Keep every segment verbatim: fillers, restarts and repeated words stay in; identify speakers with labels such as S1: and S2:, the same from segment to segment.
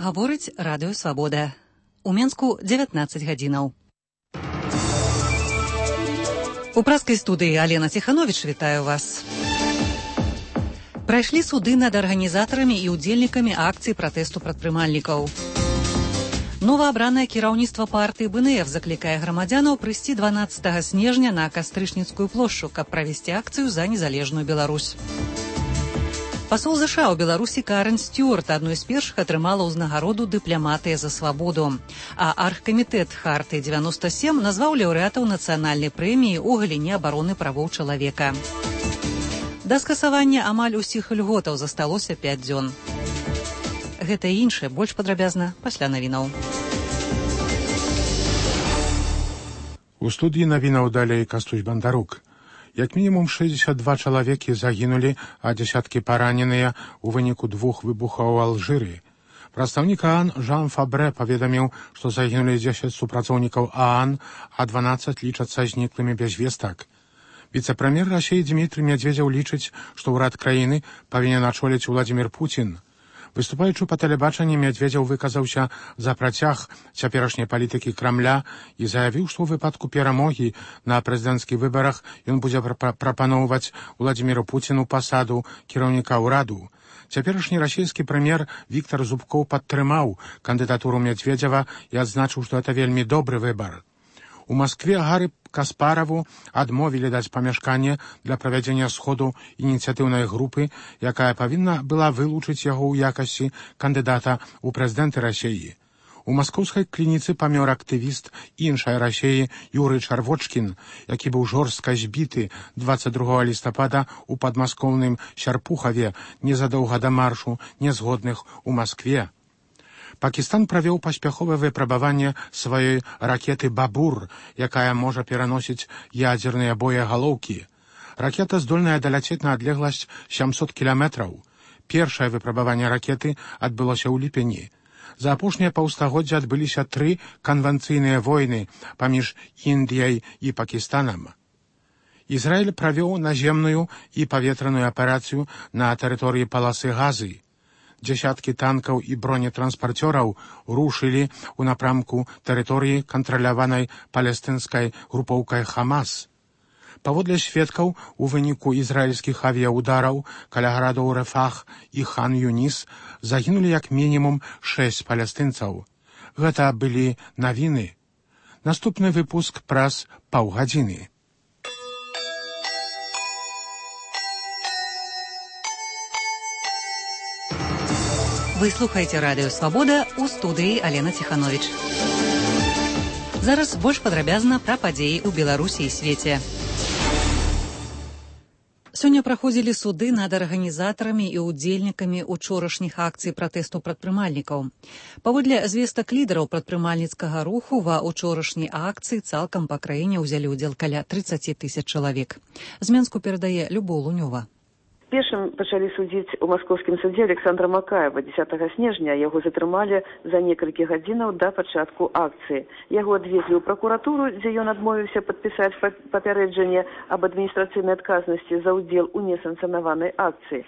S1: Гаворыць радыё Свабода. У Менску дзевятнаццаць гадзінаў. У праскай студыі Алена Ціхановіч вітаю вас. Прайшлі суды над арганізатарамі і ўдзельнікамі акцыі пратэсту прадпрымальнікаў. Новаабранае кіраўніцтва партыі бэ эн эф заклікае грамадзянаў прыйсці дванаццатага снежня на Кастрычніцкую плошчу, каб правесці акцыю за незалежную Беларусь. Пасол ЗША ў Беларусі Карен Стюарт адной з першых атрымала ўзнагароду «Дыпламатыя за свабоду». А аргкамітэт Хартыі дзевяноста сем назваў лаўрэатаў нацыянальнай прэміі ў галіне абароны правоў чалавека. Да скасавання амаль усіх льготаў засталося пяць дзён. Гэта і іншае больш падрабязна пасля навінаў.
S2: У студыі навінаў далей Кастусь Бандарук. Як мінімум шэсцьдзесят два чалавекі загінулі, а дзясяткі параненыя ў выніку двух выбухаў у Алжыры. Прадстаўнік ААН Жан Фабрэ паведаміў, што загінулі дзесяць супрацоўнікаў ААН, а дванаццаць лічацца зніклымі без вестак. Віцэ-прэм'ер Расіі Дмітрый Медведзеў лічыць, што ўрад краіны павінен ачоліць Уладзімір Пуцін. Выступаючы па тэлебачанні, Медведзеў выказаўся за працяг цяперашняй палітыкі Крамля і заявіў, што ў выпадку перамогі на прэзідэнцкіх выбарах ён будзе прапаноўваць Уладзіміру Пуціну пасаду кіраўніка ўраду. Цяперашні расійскі прэм'ер Віктар Зубкоў падтрымаў кандыдатуру Медведзева і адзначыў, што гэта вельмі добры выбар. У Маскве Гары Каспараву адмовілі даць памяшканне для правядзення сходу ініцыятыўнай групы, якая павінна была вылучыць яго ў якасці кандыдата ў прэзідэнты Расіі. У маскоўскай клініцы памёр актывіст іншай Расіі Юрый Чарвочкін, які быў жорстка збіты дваццаць другога лістапада ў падмаскоўным Сярпухаве незадоўга да маршу нязгодных у Маскве. Пакістан правёў паспяховае выпрабаванне сваёй ракеты «Бабур», якая можа пераносіць ядзерныя боегалоўкі. Ракета здольная даляцець на адлегласць сямсот кіламетраў. Першае выпрабаванне ракеты адбылося ў ліпені. За апошнія паўстагоддзя адбыліся тры канвенцыйныя войны паміж Індыяй і Пакістанам. Ізраіль правёў наземную і паветраную аперацыю на тэрыторыі паласы Газы. Дзясяткі танкаў і бронетранспарцёраў рушылі ў напрамку тэрыторыі, кантраляванай палестынскай групоўкай Хамас. Паводле сведкаў, у выніку ізраільскіх авіяудараў каля гарадоў Рафах і Хан-Юніс загінулі як мінімум шэсць палестынцаў. Гэта былі навіны. Наступны выпуск праз паўгадзіны.
S1: Вы слухаеце радыё Свабода, у студыі Алена Ціхановіч. Зараз больш падрабязна пра падзеі ў Беларусі і свеце. Сёння праходзілі суды над арганізатарамі і ўдзельнікамі учорашніх акцый пратэсту прадпрымальнікаў. Паводле звестак лідараў прадпрымальніцкага руху ва учорашняй акцыі цалкам па краіне ўзялі ўдзел каля трыццаць тысяч чалавек. З Менску перадае Любоў Лунёва.
S3: Першым пачалі судзіць у маскоўскім судзе Александра Макаева. дзесятага снежня яго затрымалі за некалькі гадзінаў да пачатку акцыі. Яго адвезлі ў пракуратуру, дзе ён адмовіўся падпісаць папярэджанне аб адміністрацыйнай адказнасці за ўдзел у несанкцыянаванай акцыі.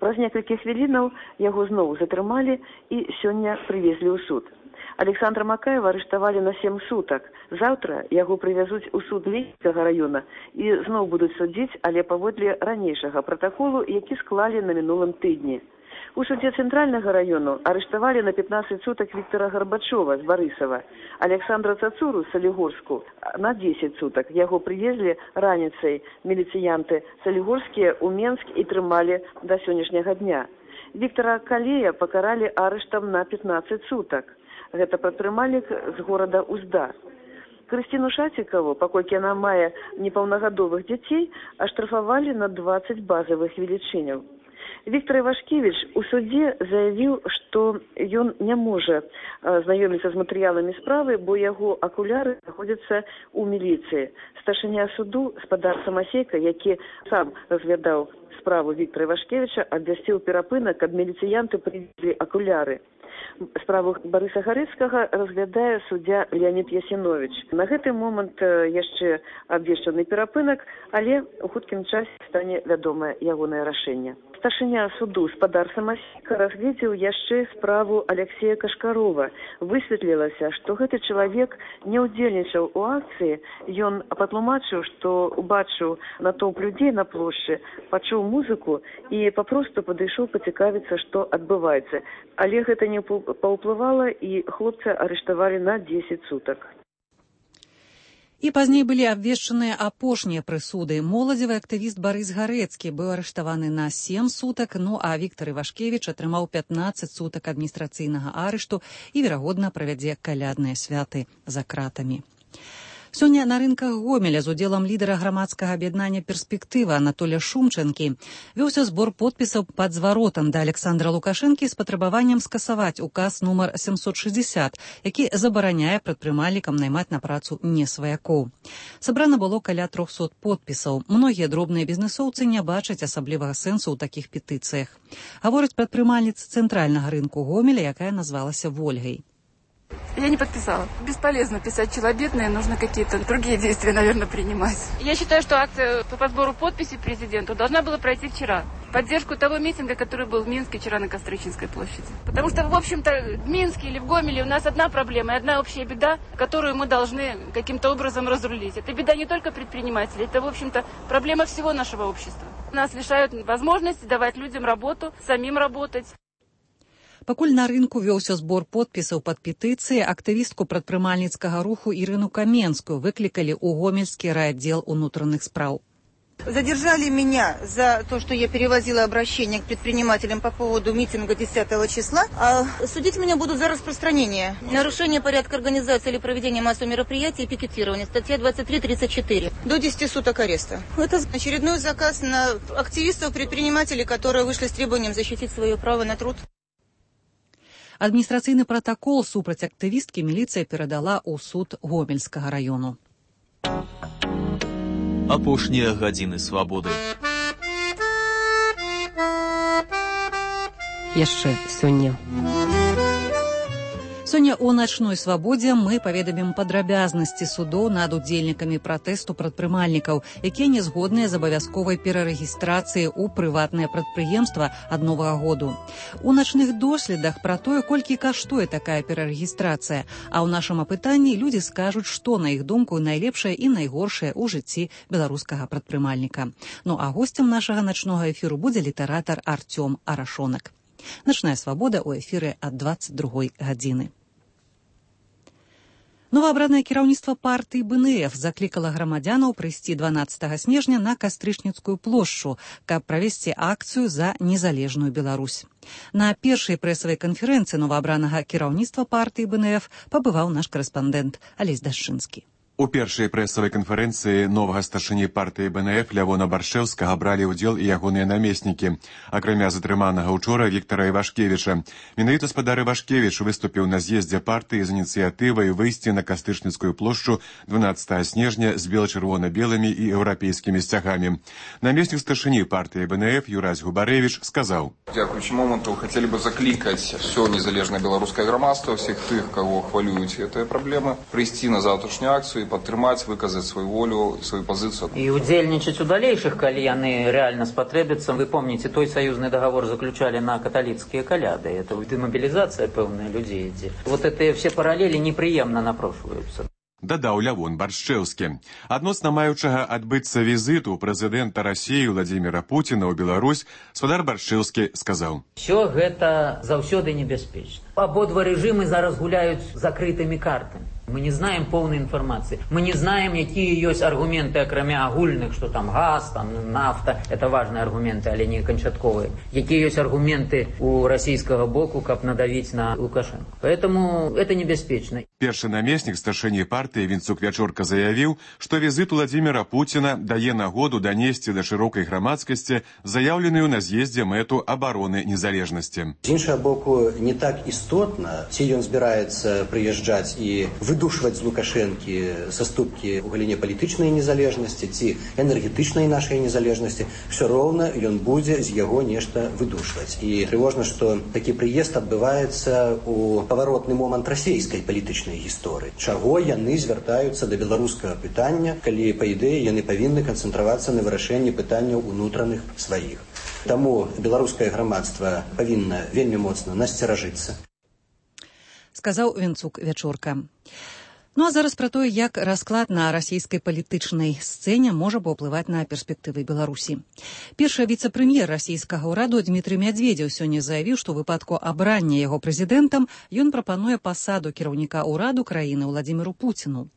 S3: Праз некалькі хвілінаў яго зноў затрымалі і сёння прывезлі ў суд. Александра Макаева арыштавалі на сем сутак. Заўтра яго прывязуць у суд Ленінскага раёна і зноў будуць судзіць, але паводле ранейшага пратаколу, які склалі на мінулым тыдні. У судзе Цэнтральнага раёну арыштавалі на пятнаццаць сутак Віктара Гарбачова з Барысава, Александра Цацуру з Салігорску на дзесяць сутак. Яго прывезлі раніцай міліцыянты салігорскія ў Менск і трымалі да сённяшняга дня. Віктара Калея пакаралі арыштам на пятнаццаць сутак. Гэта прадпрымальнік з горада Узда. Крысціну Шацікаву, паколькі яна мае непаўнагадовых дзяцей, аштрафавалі на дваццаць базавых велічыняў. Віктор Івашкевіч у судзе заявіў, што ён не можа знаёміцца з матэрыяламі справы, бо яго акуляры знаходзяцца ў міліцыі. Старшыня суду спадар Самасейка, які сам разглядаў справу Віктора Івашкевіча, абвясціў перапынак, каб міліцыянты прывезлі акуляры. Справу Барыса Гарыцкага разглядае суддзя Леонід Ясіновіч. На гэты момант яшчэ абвешчаны перапынак, але у хуткім часе стане вядомае ягонае рашэнне. Старшыня суду спадар Самасейка разгледзеў яшчэ справу Алексея Кашкарова. Высветлілася, што гэты чалавек не ўдзельнічаў у акцыі. Ён патлумачыў, што убачыў натоўп людзей на плошчы, пачуў музыку і папросту падышоў пацікавіцца, што адбываецца. Але гэта не паўплывала, і хлопца арыштавалі на дзесяць сутак.
S1: І пазней былі абвешчаныя апошнія прысуды. Моладзевы актывіст Барыс Гарэцкі быў арыштаваны на сем сутак, ну а Віктар Івашкевіч атрымаў пятнаццаць сутак адміністрацыйнага арышту і, верагодна, правядзе калядныя святы за кратамі. Сёння на рынках Гомеля з удзелам лідара грамадскага аб'яднання «Перспектыва» Анатолія Шумчанкі вёўся збор подпісаў пад зваротам да Александра Лукашэнкі з патрабаваннем скасаваць указ нумар сямсот шэсцьдзесят, які забараняе прадпрымальнікам наймаць на працу не сваякоў. Сабрана было каля трохсот подпісаў. Многія дробныя бізнесоўцы не бачаць асаблівага сэнсу ў такіх петыцыях. Гаворыць прадпрымальніца цэнтральнага рынку Гомеля, якая назвалася Вольгай.
S4: Я не подписала. Бесполезно писать челобитные, нужно какие-то другие действия, наверное, принимать. Я считаю, что акция по сбору подписей президенту должна была пройти вчера. В поддержку того митинга, который был в Минске вчера на Костричинской площади. Потому что, в общем-то, в Минске или в Гомеле у нас одна проблема и одна общая беда, которую мы должны каким-то образом разрулить. Это беда не только предпринимателей, это, в общем-то, проблема всего нашего общества. Нас лишают возможности давать людям работу, самим работать.
S1: Пакуль на рынку вёўся збор подпісаў пад петыцыі, актывістку прадпрымальніцкага руху Ірыну Каменскую выклікалі ў Гомельскі райаддзел унутраных спраў.
S5: Задержали меня за то, что я перевозила обращение к предпринимателям по поводу митинга десятого числа. А судить меня будут за распространение. Нарушение порядка организации или проведения массовых мероприятий и пикетирования. Статья двадцать три тридцать четыре. До десяти суток ареста. Это очередной заказ на активистов-предпринимателей, которые вышли с требованием защитить свое право на труд.
S1: Адміністрацыйны пратакол супраць актывісткі міліцыя перадала ў суд Гомельскага раёну.
S6: Апошнія гадзіны свабоды.
S7: Яшчэ сёння.
S1: Сёння ў начной свабодзе мы паведамім падрабязнасці судоў над удзельнікамі пратэсту прадпрымальнікаў, якія не згодныя з абавязковай перарэгістрацыяй у прыватнае прадпрыемства ад новага году. У начных доследах пра тое, колькі каштуе такая перарэгістрацыя, а ў нашым апытанні людзі скажуць, што, на іх думку, найлепшае і найгоршае ў жыцці беларускага прадпрымальніка. Ну а госцем нашага начнога эфіру будзе літаратар Артём Арашонак. Начная свабода ў эфіры ад дваццаць другой гадзіны. Новаабранае кіраўніцтва партыі БНФ заклікала грамадзянаў прыйсці дванаццатага снежня на Кастрычніцкую плошчу, каб правесці акцыю за незалежную Беларусь. На першай прэсавай канферэнцыі новаабранага кіраўніцтва партыі БНФ пабываў наш карэспандэнт Алесь Дашчынскі.
S8: У першай прэсавай канферэнцыі новага старшыні партыі БНФ Лявона Баршчэўскага бралі ўдзел і ягоныя намеснікі, акрамя затрыманага ўчора Віктара Івашкевіча. Менавіта спадар Івашкевіч выступіў на з'ездзе партыі з ініцыятывай выйсці на Кастрычніцкую плошчу дванаццатага снежня з бела-чырвона-белымі і еўрапейскімі сцягамі. Намеснік старшыні партыі БНФ Юрась Губарэвіч сказаў:
S9: Дзякуючы моманту хацелі бы заклікаць ўсё незалежнае беларускае грамадства, всіх тых, каго хвалююць гэтыя праблемы, прыйсці на заўтрашнюю акцыю, падтрымаць, выказаць сваю волю, сваю пазіцыю.
S10: І удзельнічаць у далейшых, калі яны рэальна спатрэбяцца. Вы помните, той саюзны договор заключали на каталіцкія каляды. Это демобилизация пэўная людзей ідзе. Вот это все параллели непрыемна напрошваюцца.
S8: Дадаў Лявон Баршчэўскі. Адносна маючага адбыцца візіту прэзідэнта Расіі Владзіміра Пуціна ў Беларусь, спадар Баршчэўскі сказаў:
S10: Всё гэта заўсёды небяспечна. Абодва рэжымы зараз гуляюць закрытымі картамі. Мы не знаем полной информации. Мы не знаем, какие есть аргументы, акрамя агульных, что там газ, там нафта. Это важные аргументы, але не кончатковые. Какие есть аргументы у российского боку, как надавить на Лукашенко. Поэтому это небяспечна.
S8: Першы намеснік старшыні партыі Вінцук Вячорка заявіў, што візит Владзіміра Пуціна дае нагоду данесці да шырокай грамадскасці заяўленую на з'ездзе мэту абароны незалежнасці.
S11: З іншага боку, не так істотна
S7: істотна. Ці ён збіраецца прыязджаць і выдушваць з Лукашэнкі саступкі ў галіне палітычнай незалежнасці ці энергетычнай нашай незалежнасці, все роўна ён будзе з яго нешта выдушваць. І трывожна, што такі прыезд адбываецца ў паваротны момант расійскай палітычнай гісторыі. Чаго яны звяртаюцца да беларускага пытання, калі, па ідэі, яны павінны канцэнтравацца на вырашэнні пытанняў унутраных сваіх. Таму беларускае грамадства павінна вельмі моцна насцеражыцца.
S1: Сказаў Венцук Вячорка. Ну а зараз пра тое, як расклад на расійскай палітычнай сцэне можа паўплываць на перспектывы Беларусі. Першы віцэ-прэм'ер расійскага ўраду Дмітрый Мядзведзеў сёння заявіў, што ў выпадку абрання яго прэзідэнтам ён прапануе пасаду кіраўніка ўраду краіны Владзіміру Пуціну.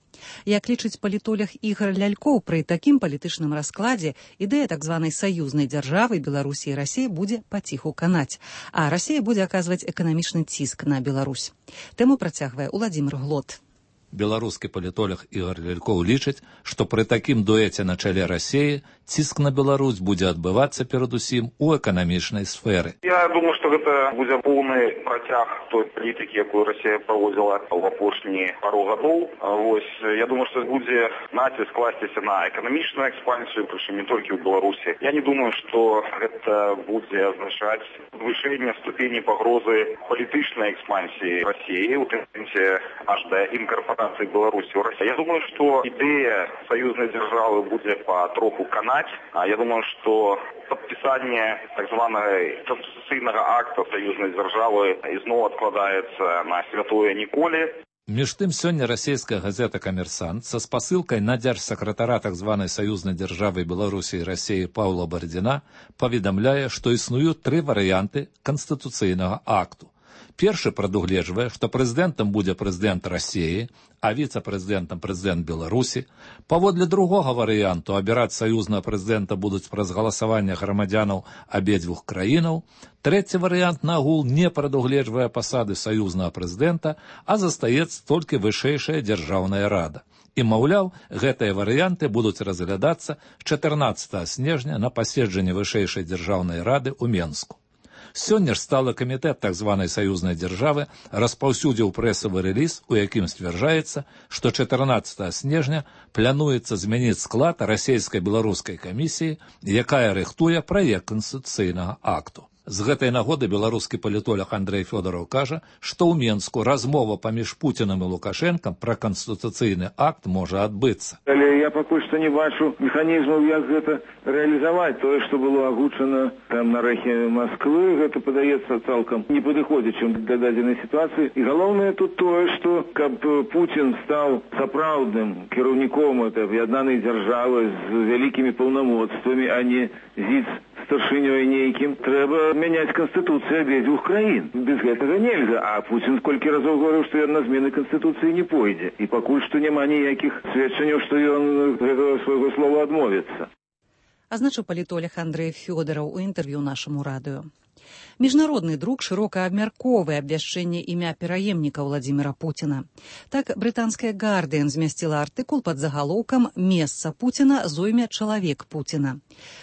S1: Як лічыць палітолог Ігор Лялькоў, пры такім палітычным раскладзе ідэя так званай саюзнай дзяржавы Беларусі і Расіі будзе паціху канаць, а Расія будзе аказваць эканамічны ціск на Беларусь. Тэму працягвае Уладзімір Глот.
S11: Беларускі палітолог Ігор Лялькоў лічыць, што пры такім дуэце на чале Расіі ціск на Беларусь будзе адбывацца перадусім у эканамічнай сферы.
S12: Я думаю, што гэта будзе поўны працяг той палітыкі, якую Расія праводзіла ў апошнія пару гадоў. Вось, я думаю, што будзе націск класціся на эканамічную экспансію, прычым не толькі ў Беларусі. Я не думаю, што гэта будзе азначаць падвышэнне ступені пагрозы палітычнай экспансіі Расіі, у тым сэнсе аж да інкарпорацыі Беларусі ў Расію. Я думаю, што ідэя саюзнай дзяржавы будзе патроху канаць. А я думаю, што падпісанне так званага канстытуцыйнага акта саюзнай дзяржавы ізноў адкладаецца на святое ніколі.
S11: Між тым, сёння расійская газета «Камерсант» са спасылкай на дзяржсакратара так званай саюзнай дзяржавы Беларусі і Расіі Паўла Бардзіна паведамляе, што існуюць тры варыянты канстытуцыйнага акту. Першы прадугледжвае, што прэзідэнтам будзе прэзідэнт Расіі, а віцэ-прэзідэнтам прэзідэнт Беларусі. Паводле другога варыянту абіраць саюзнага прэзідэнта будуць праз галасаванне грамадзянаў абедзвюх краінаў. Трэці варыянт нагул не прадугледжвае пасады саюзнага прэзідэнта, а застаецца толькі вышэйшая дзяржаўная рада. І, маўляў, гэтыя варыянты будуць разглядацца чатырнаццатага снежня на паседжанні вышэйшай дзяржаўнай рады ў Менску. Сёння ж сталы камітэт так званай саюзнай дзяржавы распаўсюдзіў прэсавы рэліз, у якім сцвярджаецца, што чатырнаццатага снежня плануецца змяніць склад расійска-беларускай камісіі, якая рыхтуе праект канстытуцыйнага акту. З гэтай нагоды беларускі палітолог Андрэй Фёдараў кажа, што ў Менску размова паміж Пуцінам і Лукашэнкам пра канстытуцыйны акт можа адбыцца.
S13: Але я пакуль што не бачу механізмаў, як гэта рэалізаваць. Тое, што было агучана там на рэхе Масквы, гэта падаецца цалкам не падыходзячым для дадзенай сітуацыі. І галоўнае тут тое, што каб Пуцін стаў сапраўдным кіраўніком аб'яднанай дзяржавы з вялікімі паўнамоцтвамі, а не зіц старшынёй нейкім, трэба мяняць канстытуцыю абедзвюх краін. Без гэтага нельга, а Пуцін колькі разоў говорыў, што ён на змены канстытуцыі не пойдзе. І пакуль што няма ніякіх сведчанняў, што ён гэтага свайго слова адмовіцца.
S1: Азначыў палітолог Андрэй Фёдараў у інтэрв'ю нашаму радыё. Міжнародны друк шырока абмяркоўвае абвяшчэнне імя пераемніка Владзіміра Пуціна. Так, брытанская «Гардыан» змясціла артыкул пад загалоўкам «Месца Пуціна зойме чалавек Пуціна».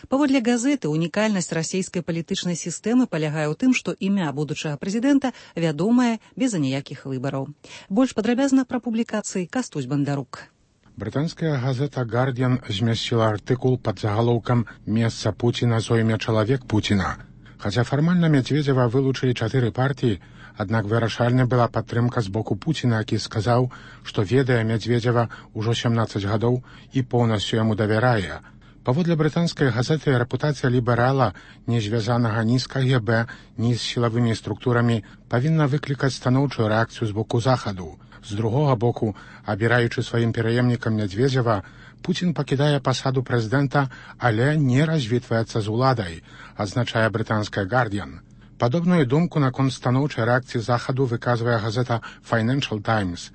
S1: Паводле газеты, унікальнасць расійскай палітычнай сістэмы палягае ў тым, што імя будучага прэзідэнта вядомае без аніякіх выбараў. Больш падрабязна пра публікацыі Кастусь Бандарук.
S2: Брытанская газета «Гардыан» змясціла артыкул пад загалоўкам «Месца Пуціна зойме чалавек Пуціна». Хаця фармальна Мядзведзева вылучылі чатыры партыі, аднак вырашальна была падтрымка з боку Пуціна, які сказаў, што ведае Мядзведзева ўжо сямнаццаць гадоў і поўнасцю яму давярае. Паводле брытанскай газеты, рэпутацыя ліберала, не звязанага ні з КГБ, ні з сілавымі структурамі, павінна выклікаць станоўчую рэакцыю з боку Захаду. З другога боку, абіраючы сваім пераемнікам Мядзведзева, Пуцін пакідае пасаду прэзідэнта, але не развітваецца з уладай, адзначае брытанская «Гардыан». Падобную думку наконт станоўчай рэакцыі Захаду выказвае газета «Financial Times».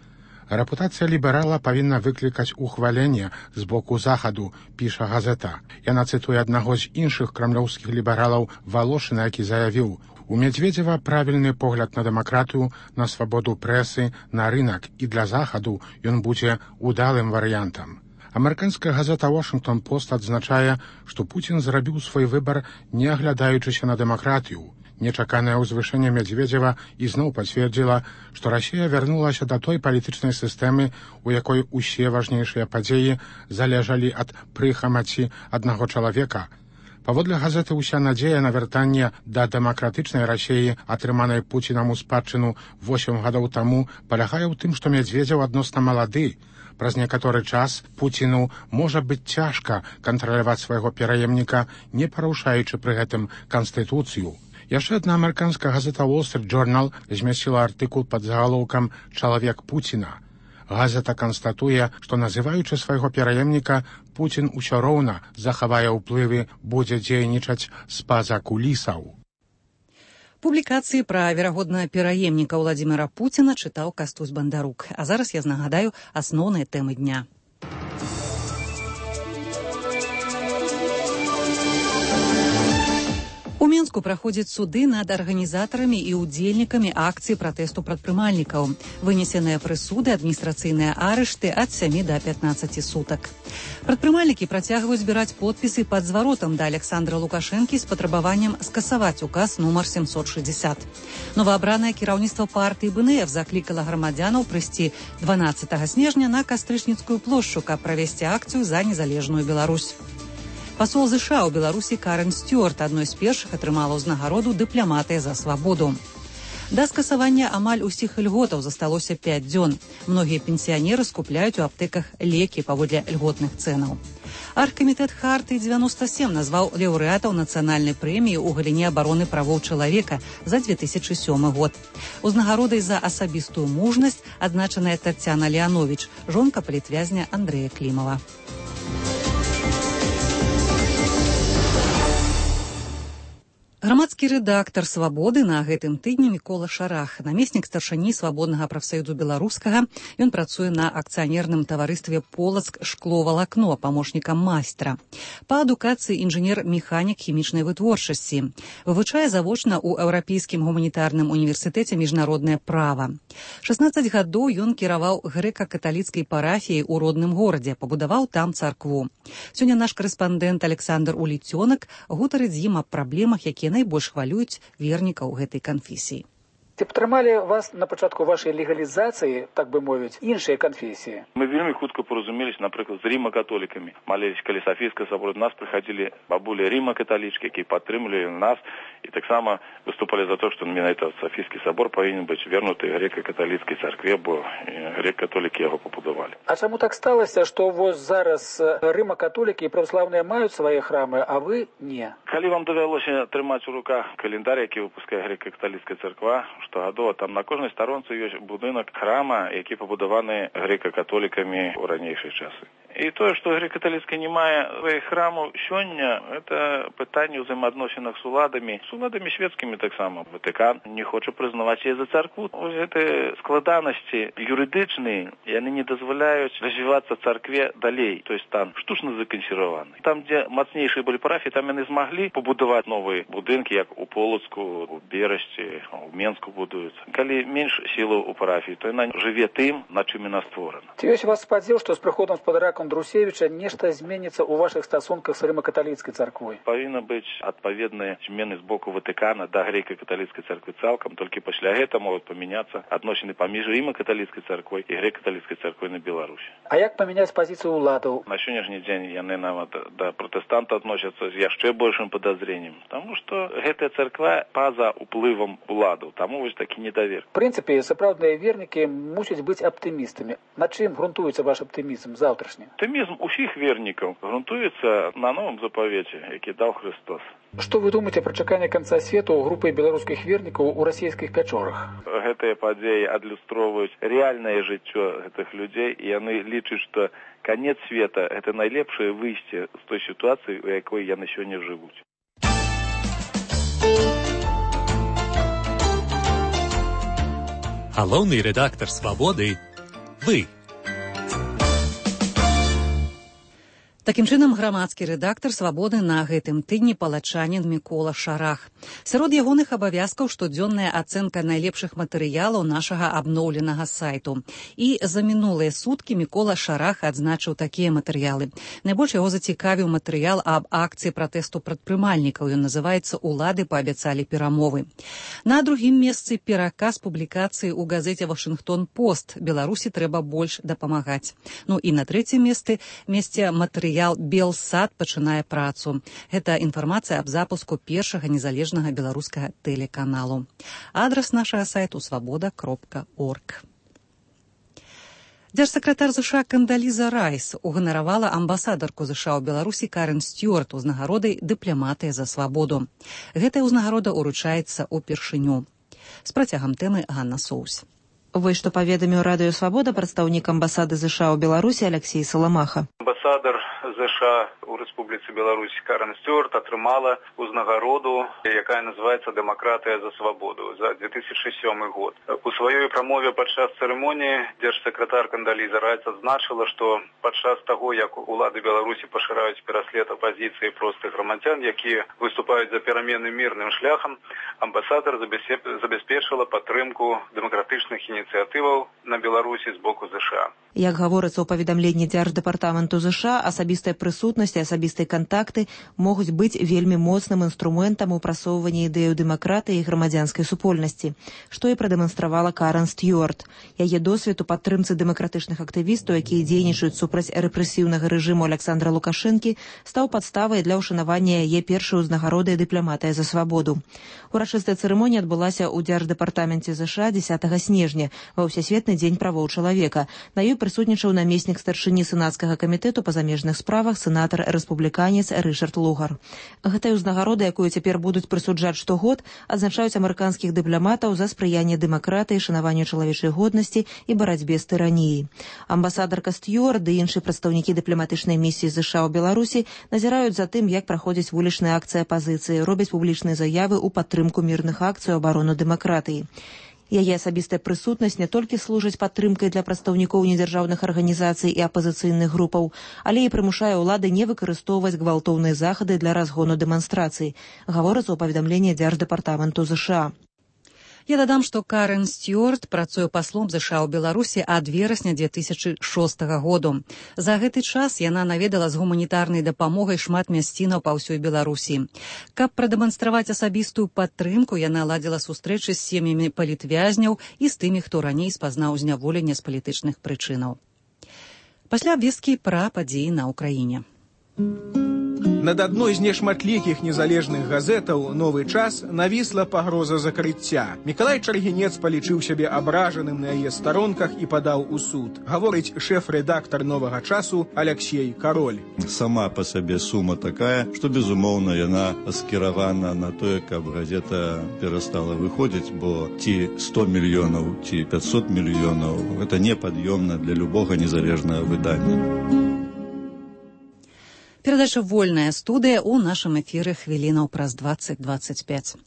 S2: Рэпутацыя ліберала павінна выклікаць ухваленне з боку Захаду, піша газета. Яна цытуе аднаго з іншых крамлёўскіх лібералаў Валошына, які заявіў: «У Мядзведзева правільны погляд на дэмакратыю, на свабоду прэсы, на рынак, і для Захаду ён будзе удалым варыянтам». Амерыканская газета «Вашингтон Пост» адзначае, што Пуцін зрабіў свой выбар, не аглядаючыся на дэмакратыю. Нечаканае ўзвышэнне Медведзева ізноў пацвердзіла, што Расія вярнулася да той палітычнай сістэмы, у якой усе важнейшыя падзеі залежалі ад прыхамаці аднаго чалавека. Паводле газеты «Уся надзея» на вяртанне да дэмакратычнай Расіі, атрыманай Пуцінам у спадчыну восем гадоў таму, палягае ў тым, што Медведзеў адносна малады. Праз некаторы час Пуціну можа быць цяжка кантраляваць свайго пераемніка, не парушаючы пры гэтым канстытуцыю. Яшчэ адна амерыканская газета «Wall Street Journal» змясціла артыкул пад загалоўкам «Чалавек Пуціна». Газета канстатуе, што, называючы свайго пераемніка, Пуцін усё роўна захавае ўплывы, будзе дзейнічаць з-па-за кулісаў.
S1: Публікацыі пра верагодна пераемніка Владзіміра Пуціна чытаў Кастусь Бандарук. А зараз я нагадаю асноўныя тэмы дня. У Мінску праходзяць суды над арганізатарамі і ўдзельнікамі акцыі пратэсту прадпрымальнікаў. Вынесеныя прысуды, адміністрацыйныя арышты ад сямі да пятнаццаці сутак. Прадпрымальнікі працягваюць збіраць подпісы пад зваротам да Александра Лукашэнкі з патрабаваннем скасаваць указ нумар сямсот шэсцьдзесят. Новаабранае кіраўніцтва партыі БНФ заклікала грамадзянаў прыйсці дванаццатага снежня на Кастрычніцкую плошчу, каб правесці акцыю за незалежную Беларусь. Пасол ЗША ў Беларусі Карен Стюарт адной з першых атрымала ўзнагароду дыпламатыя за свабоду. Да скасавання амаль усіх льготаў засталося пяць дзён. Многія пенсіянеры скупляюць у аптэках лекі паводле льготных цэнаў. Аргкамітэт Хартыі дзевяноста сем назваў лаўрэатаў нацыянальнай прэміі ў галіне абароны правоў чалавека за две тысячы сёмы год. Узнагародай за асабістую мужнасць адзначаная Таццяна Леановіч, жонка палітвязня Андрэя Клімава. Грамадскі рэдактар «Свабоды» на гэтым тыдні Мікола Шарах, намеснік старшыні свабоднага прафсаюзу беларускага. Ён працуе на акцыянерным таварыстве «Полацк шкловалакно», памочнікам майстра. Па адукацыі інжынер-механік хімічнай вытворчасці. Вывучае завочна ў Еўрапейскім гуманітарным універсітэце міжнароднае права. шаснаццаць гадоў ён кіраваў грэка-каталіцкай парафіяй у родным горадзе, пабудаваў там царкву. Сёння наш карэспандэнт Александр Уліцёнак гутарыць з ім аб праблемах, якія найбольш хвалююць вернікаў гэтай канфесіі.
S14: Ці падтрымалі вас на пачатку вашай легалізацыі, так бы мовіць, іншыя канфесіі?
S12: Мы вельмі хутка паразумеліся, напрыклад, з рыма-католікамі. Маліліся каля Сафійскага собора. До нас прыходили бабулі рыма-каталічкі, якія падтрымлівалі нас і таксама выступалі за то, што менавіта Сафійскі собор павінен быць вернуты грэка-каталіцкай царкве, бо грэк-католікі яго пабудавалі.
S14: А чаму так сталася, што вось зараз рыма-католікі і праваслаўныя маюць свае храмы, а вы не?
S12: Калі вам давялося трымаць у руках календар, які выпускае грэка-каталіцкая царква, штогадова там на кожнай старонцы ёсць будынак храма, які пабудаваны грэка-католікамі ў ранейшыя часы. І тое, што грэка-каталіцкая не мае сваіх храмаў сёння, это пытанне ўзаемаадносінах з уладамі, з уладамі свецкімі таксама. Ватыкан не хоча прызнаваць яе за царкву. Вось гэтыя складанасці юрыдычныя, яны не дазваляюць развівацца царкве далей, то есть там штучна закансерваваны. Там, дзе мацнейшыя былі парафіі, там яны змаглі пабудаваць новыя будынкі, як у Полацку, у Берасці, у Менску будуюцца. Калі менш сілаў у парафіі, то яна жыве тым, на чым яна створана.
S14: Ці ёсць у вас спадзеў, што з прыходам спадарка Друсевіча нешта зменіцца ў вашых стасунках з рыма-каталіцкай царквой?
S12: Павінна быць адпаведныя змены з боку Ватыкана да грэка-каталіцкай царквы цалкам, толькі пасля гэта могуць памяняцца адносіны паміж рыма-каталіцкай царквой і грэка-каталіцкай царквой на Беларусі.
S14: А як памяняць пазіцыю ўладаў?
S12: На сённяшні дзень яны нават да пратэстанта адносяцца з яшчэ большым падазреннем, таму што гэтая царква па-за уплывам уладаў, таму вось такі недавер.
S14: В прынцыпе, сапраўдныя вернікі мусяць быць аптымістамі. На чым грунтуецца ваш аптымізм заўтрашні?
S12: Аптымізм усіх вернікаў грунтуецца на новым запавеце, які даў Христос.
S14: Што вы думаеце пра чаканне канца свету групы беларускіх вернікаў у расійскіх пячорах?
S12: Гэтыя падзеі адлюстроўваюць рэальнае жыццё гэтых людзей, і яны лічаць, што канец света – гэта найлепшае выйсце з той сітуацыі, у якой яны сёння жывуць.
S15: Галоўны рэдактар «Свабоды» – вы.
S1: Такім чынам, грамадскі рэдактар «Свабоды» на гэтым тыдні палачанін Мікола Шарах. Сярод ягоных абавязкаў штодзённая ацэнка найлепшых матэрыялаў нашага абноўленага сайту. І за мінулыя суткі Мікола Шарах адзначыў такія матэрыялы. Найбольш яго зацікавіў матэрыял аб акцыі пратэсту прадпрымальнікаў. Ён называецца «Улады паабяцалі перамовы». На другім месцы пераказ публікацыі ў газеце «Вашынгтон-Пост». Беларусі трэба больш дапамагаць. Ну і на трэцім месцы месце матэрыял «Белсад пачынае працу». Гэта інфармацыя аб запуску першага незалежнага беларускага тэлеканалу. Адрас нашага сайту свабода кропка орг. Дзяржсакратар ЗША Кандаліза Райс уганаравала амбасадарку ЗША ў Беларусі Карен Стюарт узнагародай «Дыпламатыя за свабоду». Гэтая ўзнагарода ўручаецца ўпершыню. З працягам тэмы Ганна Соус.
S15: Вось што паведаміў радыё «Свабода» прадстаўнік амбасады ЗША ў Беларусі Алексей Саламаха.
S16: Амбасадар ЗША у Рэспубліцы Беларусь Карен Стюарт атрымала ўзнагароду, якая называецца «Дэмакратыя за свабоду» за две тысячи сёмы год. У сваёй прамове падчас цырымоніі дзяржсакратар Кандаліза Райс адзначыла, што падчас таго, як улады Беларусі пашыраюць пераслед апазіцыі простых грамадзян, якія выступаюць за перамены мірным шляхам, амбасадар забяспечыла падтрымку дэмакратычных ініцыятываў на Беларусі з боку ЗША.
S15: Як гаворыцца ў паведамленні Дзярждэпартаменту ЗША, асабістая прысутнасць і асабістыя кантакты могуць быць вельмі моцным інструментам у прасоўванні ідэю дэмакратыі і грамадзянскай супольнасці, што і прадэманстравала Карен Стюарт. Яе досвед у падтрымцы дэмакратычных актывістаў, якія дзейнічаюць супраць рэпрэсіўнага рэжыму Александра Лукашэнкі, стаў падставай для ўшанавання яе першай узнагароды «Дыпламатыя за свабоду». Урачыстая цырымонія адбылася ў Дзярждэпартаменце ЗША дзесятага снежня ва ўсесветны дзень правоў чалавека. На ёй прысутнічаў намеснік старшыні сенацкага камітэту па замежных справах сенатар рэспубліканец Рышард Лугар. Гэтай узнагароды, якую цяпер будуць прысуджаць штогод, адзначаюць амерыканскіх дыпламатаў за спрыянне дэмакратыі, шанаванню чалавечай годнасці і барацьбе з тыраніяй. Амбасадарка Стюарт ды іншыя прадстаўнікі дыпламатычнай місіі ЗША ў Беларусі назіраюць за тым, як праходзіць вулічныя акцыі апазіцыі, робяць публічныя заявы ў падтрымку мірных акцый у абарону дэмакратыі. Яе асабістая прысутнасць не толькі служыць падтрымкай для прадстаўнікоў недзяржаўных арганізацый і апазіцыйных групаў, але і прымушае ўлады не выкарыстоўваць гвалтоўныя захады для разгону дэманстрацый, гаворыцца ў паведамленні Дзярждэпартаменту ЗША.
S1: Я дадам, што Карен Стюарт працуе паслом ЗША ў Беларусі ад верасня две тысячи шостага году. За гэты час яна наведала з гуманітарнай дапамогай шмат мясцінаў па ўсёй Беларусі. Каб прадэманстраваць асабістую падтрымку, яна ладзіла сустрэчы з сем'ямі палітвязняў і з тымі, хто раней спазнаў зняволенне з палітычных прычынаў. Пасля абвесткі пра падзеі на ўкраіне.
S17: Над адной з нешматлікіх незалежных газетаў «Новы час» навісла пагроза закрыцця. Мікалай Чаргінец палічыў сябе абражаным на яе старонках і падаў у суд. Гаворыць шэф-рэдактар «Новага часу» Алексей Кароль.
S18: Сама па сабе сума такая, што, безумоўна, яна скіравана на тое, каб газета перастала выходзіць, бо ці сто мільёнаў, ці пятьсот мільёнаў – гэта непад'ёмна для любога незалежнага выдання.
S1: Перадача «Вольная студыя» ў нашым эфіры хвілінаў праз дваццаць дваццаць пяць.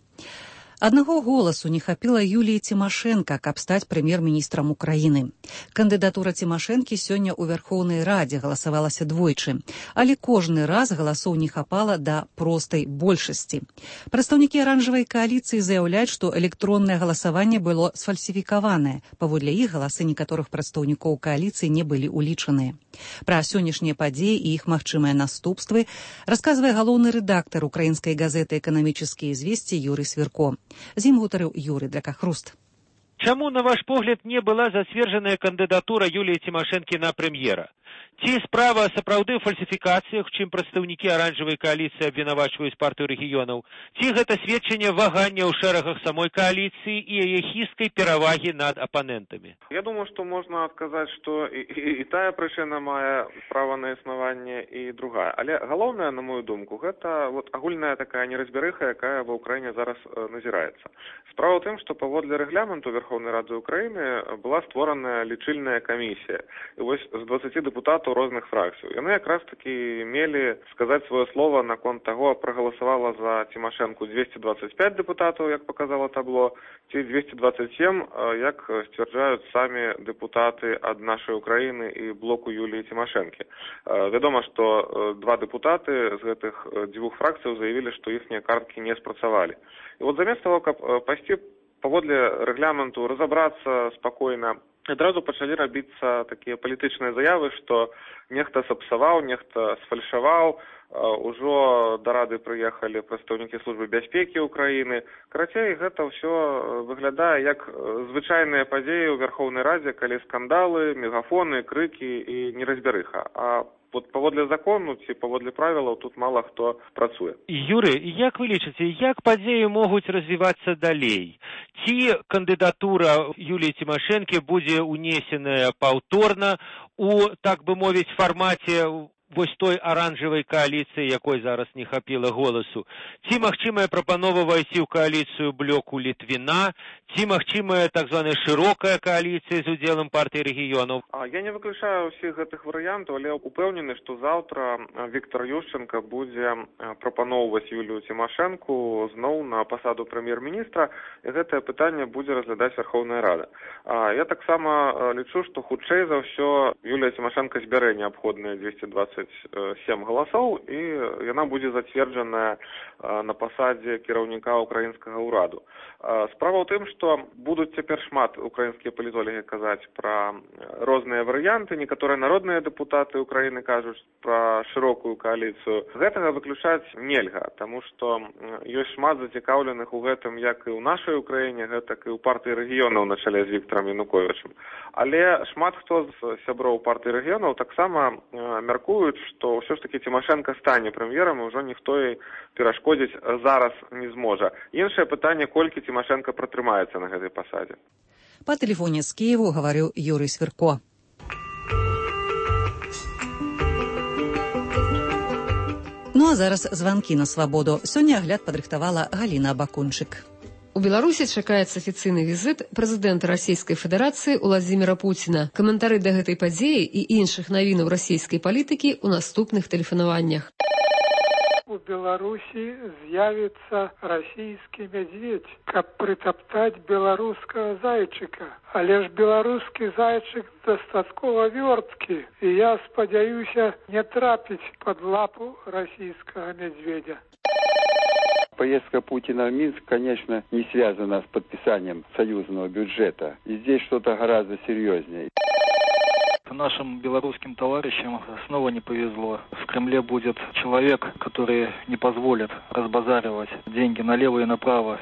S1: Аднаго голасу не хапіла Юліі Цімашэнка, каб стаць прэм'ер-міністрам Украіны. Кандыдатура Цімашэнкі сёння ў Вярхоўнай Радзе галасавалася двойчы, але кожны раз галасоў не хапала да простай большасці. Прадстаўнікі аранжавай кааліцыі заяўляюць, што электроннае галасаванне было сфальсіфікаванае. Паводле іх галасы некаторых прадстаўнікоў кааліцыі не былі улічаныя. Пра сённяшнія падзеі і іх магчымыя наступствы расказвае галоўны рэдактар украінскай газеты «Эканамічныя звесці» Юрый Свірко. З ім гутарыў Юрый Дракахруст.
S19: Чаму, на ваш погляд, не была зацверджаная кандыдатура Юліі Цімашэнкі на прэм'ера? Ці справа сапраўды ў фальсіфікацыях, чым прадстаўнікі аранжавай кааліцыі абвінавачваюць партыю рэгіёнаў? Ці гэта сведчанне вагання ў шэрагах самой кааліцыі і яе хісткай перавагі над апанентамі?
S20: Я думаю, што можна адказаць, што і, і, і тая прычына мае права на існаванне, і другая. Але галоўнае, на мою думку, гэта вот агульная такая неразбярыха, якая ва ўкраіне зараз э, назіраецца. Справа ў тым, што паводле рэгламенту Верховнай Рады Украіны была створаная лічыльная камісія. І вось з дваццаці дэпутатаў депутатаў розных фракцый. Яны якраз такі мелі сказаць сваё слова наконт таго, прагаласавала за Тимошенко двести двадцать пять депутатаў, як показало табло, ці двести двадцать семь, як сцвярджаюць самі депутаты ад нашай Украіны і блоку Юліі Тимошенко. Вядома, што два депутаты з гэтых дзвюх фракцыяў заявілі, што іхнія карткі не спрацавалі. І вот замест того, каб пайсці паводле рэгламенту разабрацца спакойна, адразу пачалі рабіцца такія палітычныя заявы, што нехта сапсаваў, нехта сфальшаваў, ужо да рады прыехалі прадстаўнікі службы бяспекі ўкраіны. Карацей, гэта ўсё выглядае як звычайныя падзеі ў Верхоўнай Радзе, калі скандалы, мегафоны, крыкі і неразбярыха. А вот паводле закону ці паводле правілаў тут мала хто працуе.
S19: Юрый, як вы лічыце, як падзеі могуць развівацца далей? Ці кандыдатура Юліі Тимошенко будзе унесеная паўторна у, так бы мовіць, фармаце вось той аранжавай кааліцыі, якой зараз не хапіла голасу? Ці магчымая прапанова вайсці ў кааліцыю блоку Літвіна? Ці магчымая так званая шырокая кааліцыя з удзелам партыі рэгіёнаў?
S20: Я не выключаю ўсіх гэтых варыянтаў, але упэўнены, што заўтра Віктор Ющенко будзе прапаноўваць Юлію Тимошенко зноў на пасаду прэм'ер-міністра, і гэтае пытанне будзе разглядаць Верхоўная Рада. Я таксама лічу, што хутчэй за ўсё Юлія Тимошенко збярэ неабходныя двести двадцать семь галасоў, і яна будзе зацверджаная на пасадзе кіраўніка украінскага ўраду. Справа ў тым, што будуць цяпер шмат украінскія палітолагі казаць пра розныя варыянты, некаторыя народныя дэпутаты Украіны кажуць пра шырокую кааліцыю. Гэтага выключаць нельга, таму што ёсць шмат зацікаўленых у гэтым як і ў нашай Украіне, гэтак і ў партыі рэгіёнаў на чале з Віктарам Януковічам. Але шмат хто з сяброў партыі рэгіёнаў таксама мяркуюць, што ўсё ж такі Тимошенко стане прэм'ерам, і ўжо ніхто ёй перашкодзіць зараз не зможа. Іншае пытанне, колькі Тимошенко пратрымаецца на гэтай пасадзе.
S1: Па тэлефоне з Киеву гаварыў Юрый Свірко. Ну а зараз званкі на свабоду. Сёння агляд падрыхтавала Галіна Бакунчык.
S21: У Беларусі чакаецца афіцыйны візіт прэзідэнта Расійскай Федэрацыі Уладзіміра Пуціна. Каментары да гэтай падзеі і іншых навінаў расійскай палітыкі ў наступных тэлефанаваннях.
S22: У Беларусі з'явіцца расійскі мядзведь, каб прытаптаць беларускага зайчыка. Але ж беларускі зайчык дастаткова вёрткі, і я спадзяюся не трапіць пад лапу расійскага мядзведя.
S23: Поездка Путина в Минск, конечно, не связана с подписанием союзного бюджета. И здесь что-то гораздо серьезнее.
S24: Нашим белорусским товарищам снова не повезло. В Кремле будет человек, который не позволит разбазаривать деньги налево и направо.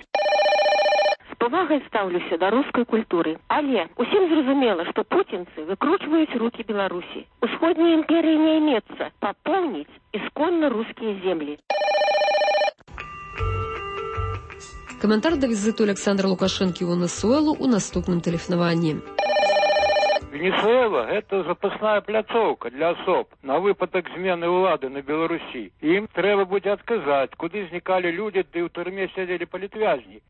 S25: З павагай стаўлюся да рускай культуры. Але усім зразумела, што пуцінцы выкручваюць рукі Беларусі. Усходняй імперыі не імецца папоўніць ісконна рускія землі.
S21: Каментар да візиту Александра Лукашенко ў Венесуэлу ў наступным тэлефанаванні.
S26: Венесуэла – это запасная пляцоўка для особ на выпадок змены ўлады на Беларусі. Ім трэба будзе адказаць, куды знікалі людзі, ды ў турме сядзелі палітвязні.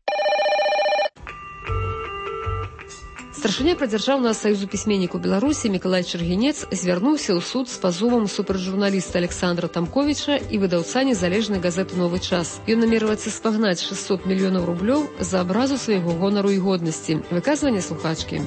S21: Старшыня прадзяржаўнага саюзу пісьменнікаў Беларусі Мікалай Чаргінец звярнуўся ў суд з пазовам супраць журналіста Александра Тамковіча і выдаўца незалежнай газеты «Новы час». Ён намерваецца спагнаць шэсцьсот мільёнаў рублёў за абразу свайго гонару і годнасці. Выказванне слухачкі.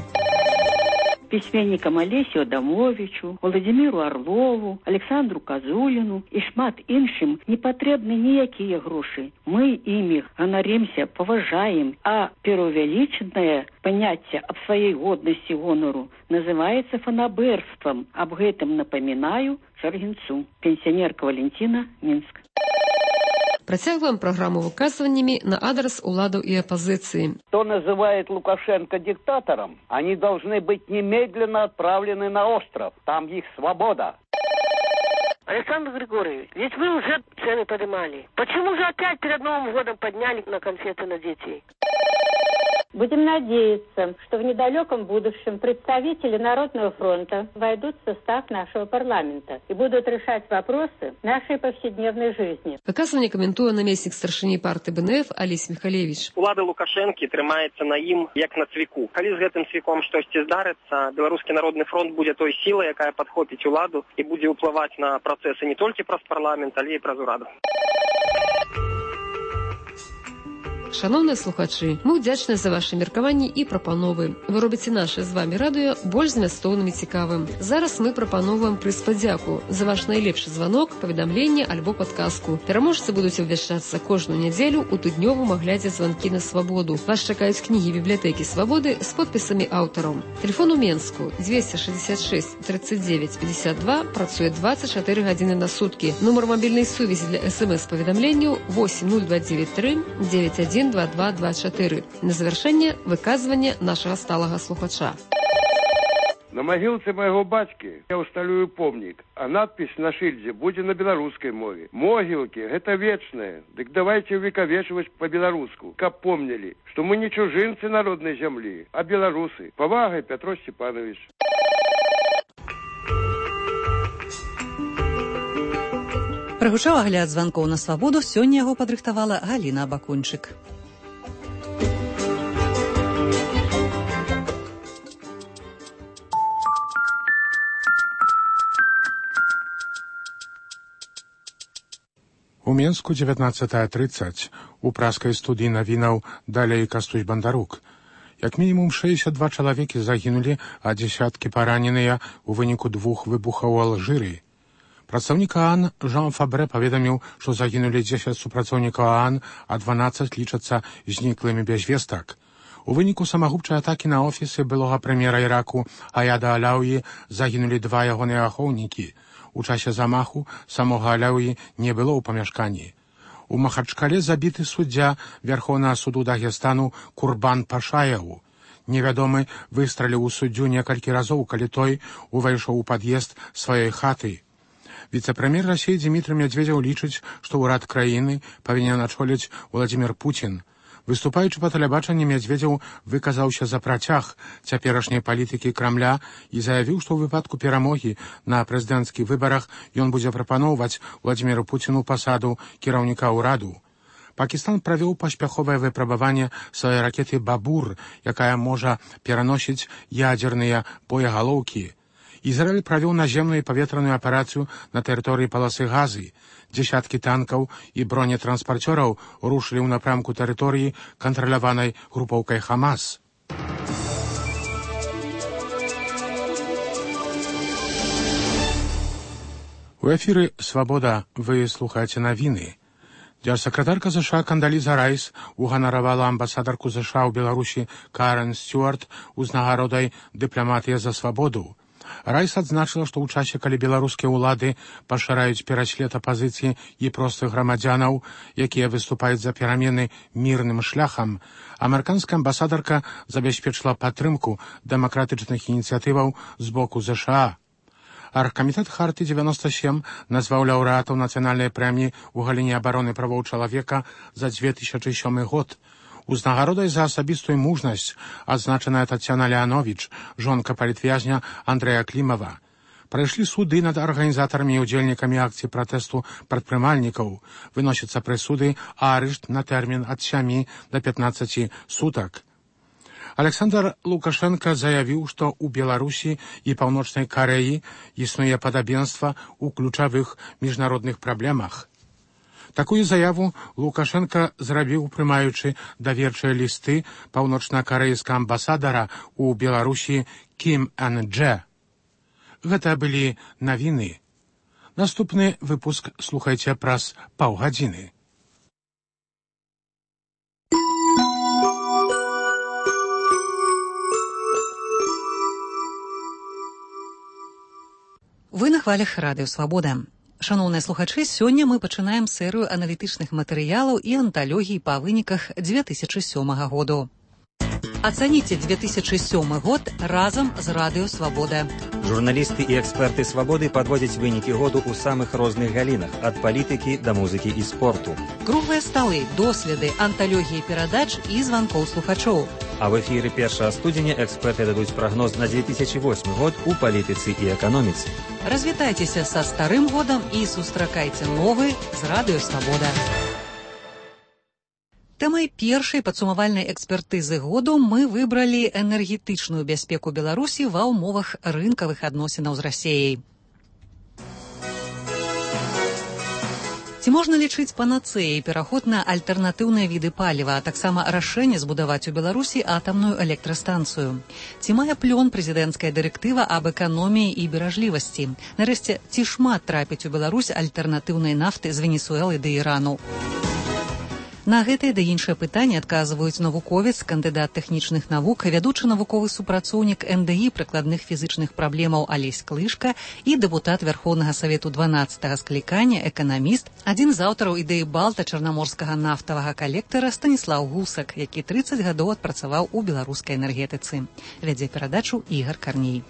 S25: Пісьменнікам Алесю Адамовичу, Владимиру Орлову, Александру Казуліну і шмат іншым не патрэбны ніякія грошы. Мы імі ганарымся, паважаем, а пераўвялічанае паняцце аб сваёй годнасці гонару называецца фанабэрствам. Аб гэтым напамінаю Чаргінцу. Пенсіонерка Валентина, Мінск.
S21: Працягваем праграму выказваннями на адрес уладу и оппозиции.
S27: Кто называет Лукашенко диктатором, они должны быть немедленно отправлены на остров. Там их свобода.
S28: Александр Григорьевич, ведь вы уже цены поднимали. Почему же опять перед Новым годом подняли на конфеты на детей?
S3: Будем надеяться, что в недалеком будущем представители Народного фронта войдут в состав нашего парламента и будут решать вопросы нашей повседневной жизни.
S21: Выказывание коментуе наместник старшыні партии БНФ Олесь Михалевич.
S4: Улада Лукашэнкі трымаецца на ім як на цвіку. Калі з гэтым цвіком штосьці здарыцца, Беларускі народны фронт будзе той сілай, якая падхопіць уладу і будзе ўплываць на працэсы не толькі праз парламент, але і праз ураду.
S21: Шановныя слухачы, мы ўдзячныя за ваши меркаванні і прапановы. Вы робіце наше з вами радыё больш змястоўным і цікавым. Зараз мы прапановваем прыз падзяку за ваш найлепшы званок, паведамленне альбо падказку. Пераможцы будуць абвяшчацца кожную нядзелю ў тыднёвым аглядзе званкі на свабоду. Вас чакаюць кнігі бібліятэкі свабоды з подпісамі аўтараў. Тэлефон у Менску двести шестьдесят шесть тридцать девять пятьдесят два, працуе двадцать четыре гадзіны на суткі. Нумар мабільнай сувязі для смс-паведамленняў восемь ноль два девять три девять один два два два четыре. На завершэнне выказванне нашага сталага слухача.
S5: На магілцы майго бацькі я ўсталюю помнік, а надпіс на шыльдзе будзе на беларускай мове. Могілкі гэта вечнае, дык давайце увекавечваць па-беларуску, каб помнілі, што мы не чужынцы народнай зямлі, а беларусы. Павагай, Пятро Степанович.
S1: Прагучаў агляд званкоў на свабоду, сёння яго падрыхтавала Галіна Бакунчык.
S2: У Менску дзевятнаццатая трыццаць у праскай студыі навінаў далей Кастусь Бандарук. Як мінімум шэсцьдзесят два чалавекі загінулі, а дзесяткі параненыя ў выніку двух выбухаў у Алжыры. Прадстаўнік ААН Жан Фабрэ паведаміў, што загінулі дзесяць супрацоўнікаў ААН, а дванаццаць лічацца зніклымі без вестак. У выніку самагубчай атакі на офісы былога прэм'ера Іраку Аяда Аляўі загінулі два ягоныя ахоўнікі. У часе замаху самога Аляўі не было ў памяшканні. У Махачкале забіты суддзя Вярхоўнага суду Дагестану Курбан Пашаяў. Невядомы выстраліў у суддзю некалькі разоў, калі той увайшоў у пад'езд сваёй хаты. Віцэ-прэм'ер Расіі Дзмітрый Мядзведзеў лічыць, што ўрад краіны павінен ачоліць Уладзімір Пуцін. Выступаючы па тэлебачанні, Мядзведзеў выказаўся за працяг цяперашняй палітыкі Крамля і заявіў, што ў выпадку перамогі на прэзідэнцкіх выбарах ён будзе прапаноўваць Уладзіміру Пуціну пасаду кіраўніка ўраду. Пакістан правёў паспяховае выпрабаванне сваёй ракеты «Бабур», якая можа пераносіць ядзерныя боегалоўкі. Ізраіль правёў наземную і паветраную аперацыю на тэрыторыі паласы Газы. Дзесяткі танкаў і бронетранспарцёраў рушылі ў напрамку тэрыторыі, кантраляванай групоўкай Хамас. У эфіры «Свабода» вы слухаеце навіны. Дзяржсакратарка ЗША Кандаліза Райс уганаравала амбасадарку ЗША ў Беларусі Карен Стюарт узнагародай «Дыпламатыя за свабоду». Райс адзначыла, што ў часе, калі беларускія ўлады пашыраюць пераслед апазіцыі і простых грамадзянаў, якія выступаюць за перамены мірным шляхам, амерыканская амбасадарка забяспечыла падтрымку дэмакратычных ініцыятываў з боку ЗША. Аргкамітэт Харты девяносто семь назваў лаўрэатаў нацыянальнай прэміі ў галіне абароны правоў чалавека за две тысячы сёмы год. Узнагародай за асабістую мужнасць адзначаная Тацяна Леанович, жонка палітвязня Андрэя Клімава. Прайшлі суды над арганізатарамі і ўдзельнікамі акцыі пратэсту прадпрымальнікаў. Выносяцца прысуды, а арышт на тэрмін ад сямі да пятнаццаці сутак. Александр Лукашенко заявіў, што ў Беларусі і Паўночнай Карэі існуе падабенства ў ключавых міжнародных праблемах. Такую заяву Лукашенко зрабіў, прымаючы даверчыя лісты паўночна-карэйскага амбасадара ў Беларусі Кім Эн Дже. Гэта былі навіны. Наступны выпуск слухайце праз паўгадзіны.
S1: Вы на хвалях радыё «Свабода». Шановныя слухачы, сёння мы пачынаем серыю аналітычных матэрыялаў і анталогій па выніках две тысячы сёмага году. Ацаніце две тысячы сёмы год разам з радыё «Свабода».
S6: Журналісты і эксперты «Свабоды» падводзяць вынікі году ў самых розных галінах, ад палітыкі да музыкі і спорту.
S1: Круглыя сталы, доследы, анталогіі перадач і званкоў слухачоў.
S6: А в эфіры першага студзеня эксперты дадуць прагноз на две тысячи восьмы год у палітыцы і эканоміцы.
S1: Развітайцеся са старым годам і сустракайце новы з радыё Свабода. Тэмай першай падсумавальнай экспертызы году мы выбралі энергетычную бяспеку Беларусі ва ўмовах рынкавых адносінаў з Расіяй. Ці можна лічыць панацэяй пераход на альтэрнатыўныя віды паліва, а таксама рашэнне збудаваць у Беларусі атамную электрастанцыю? Ці мае плён прэзідэнцкая дырэктыва аб эканоміі і беражлівасці? Нарэшце, ці шмат трапіць у Беларусь альтэрнатыўнай нафты з Венесуэлы да Ірану? На гэтыя да іншыя пытанні адказваюць навуковец, кандыдат тэхнічных навук, вядучы навуковы супрацоўнік эн дэ і прыкладных фізычных праблемаў Алесь Клышка і дэпутат Вярхоўнага Савету дванаццатага склікання, эканаміст, адзін з аўтараў ідэі Балта чарнаморскага нафтавага калектара Станіслаў Гусак, які трыццаць гадоў адпрацаваў у беларускай энергетыцы. Вядзе перадачу Ігар Карней.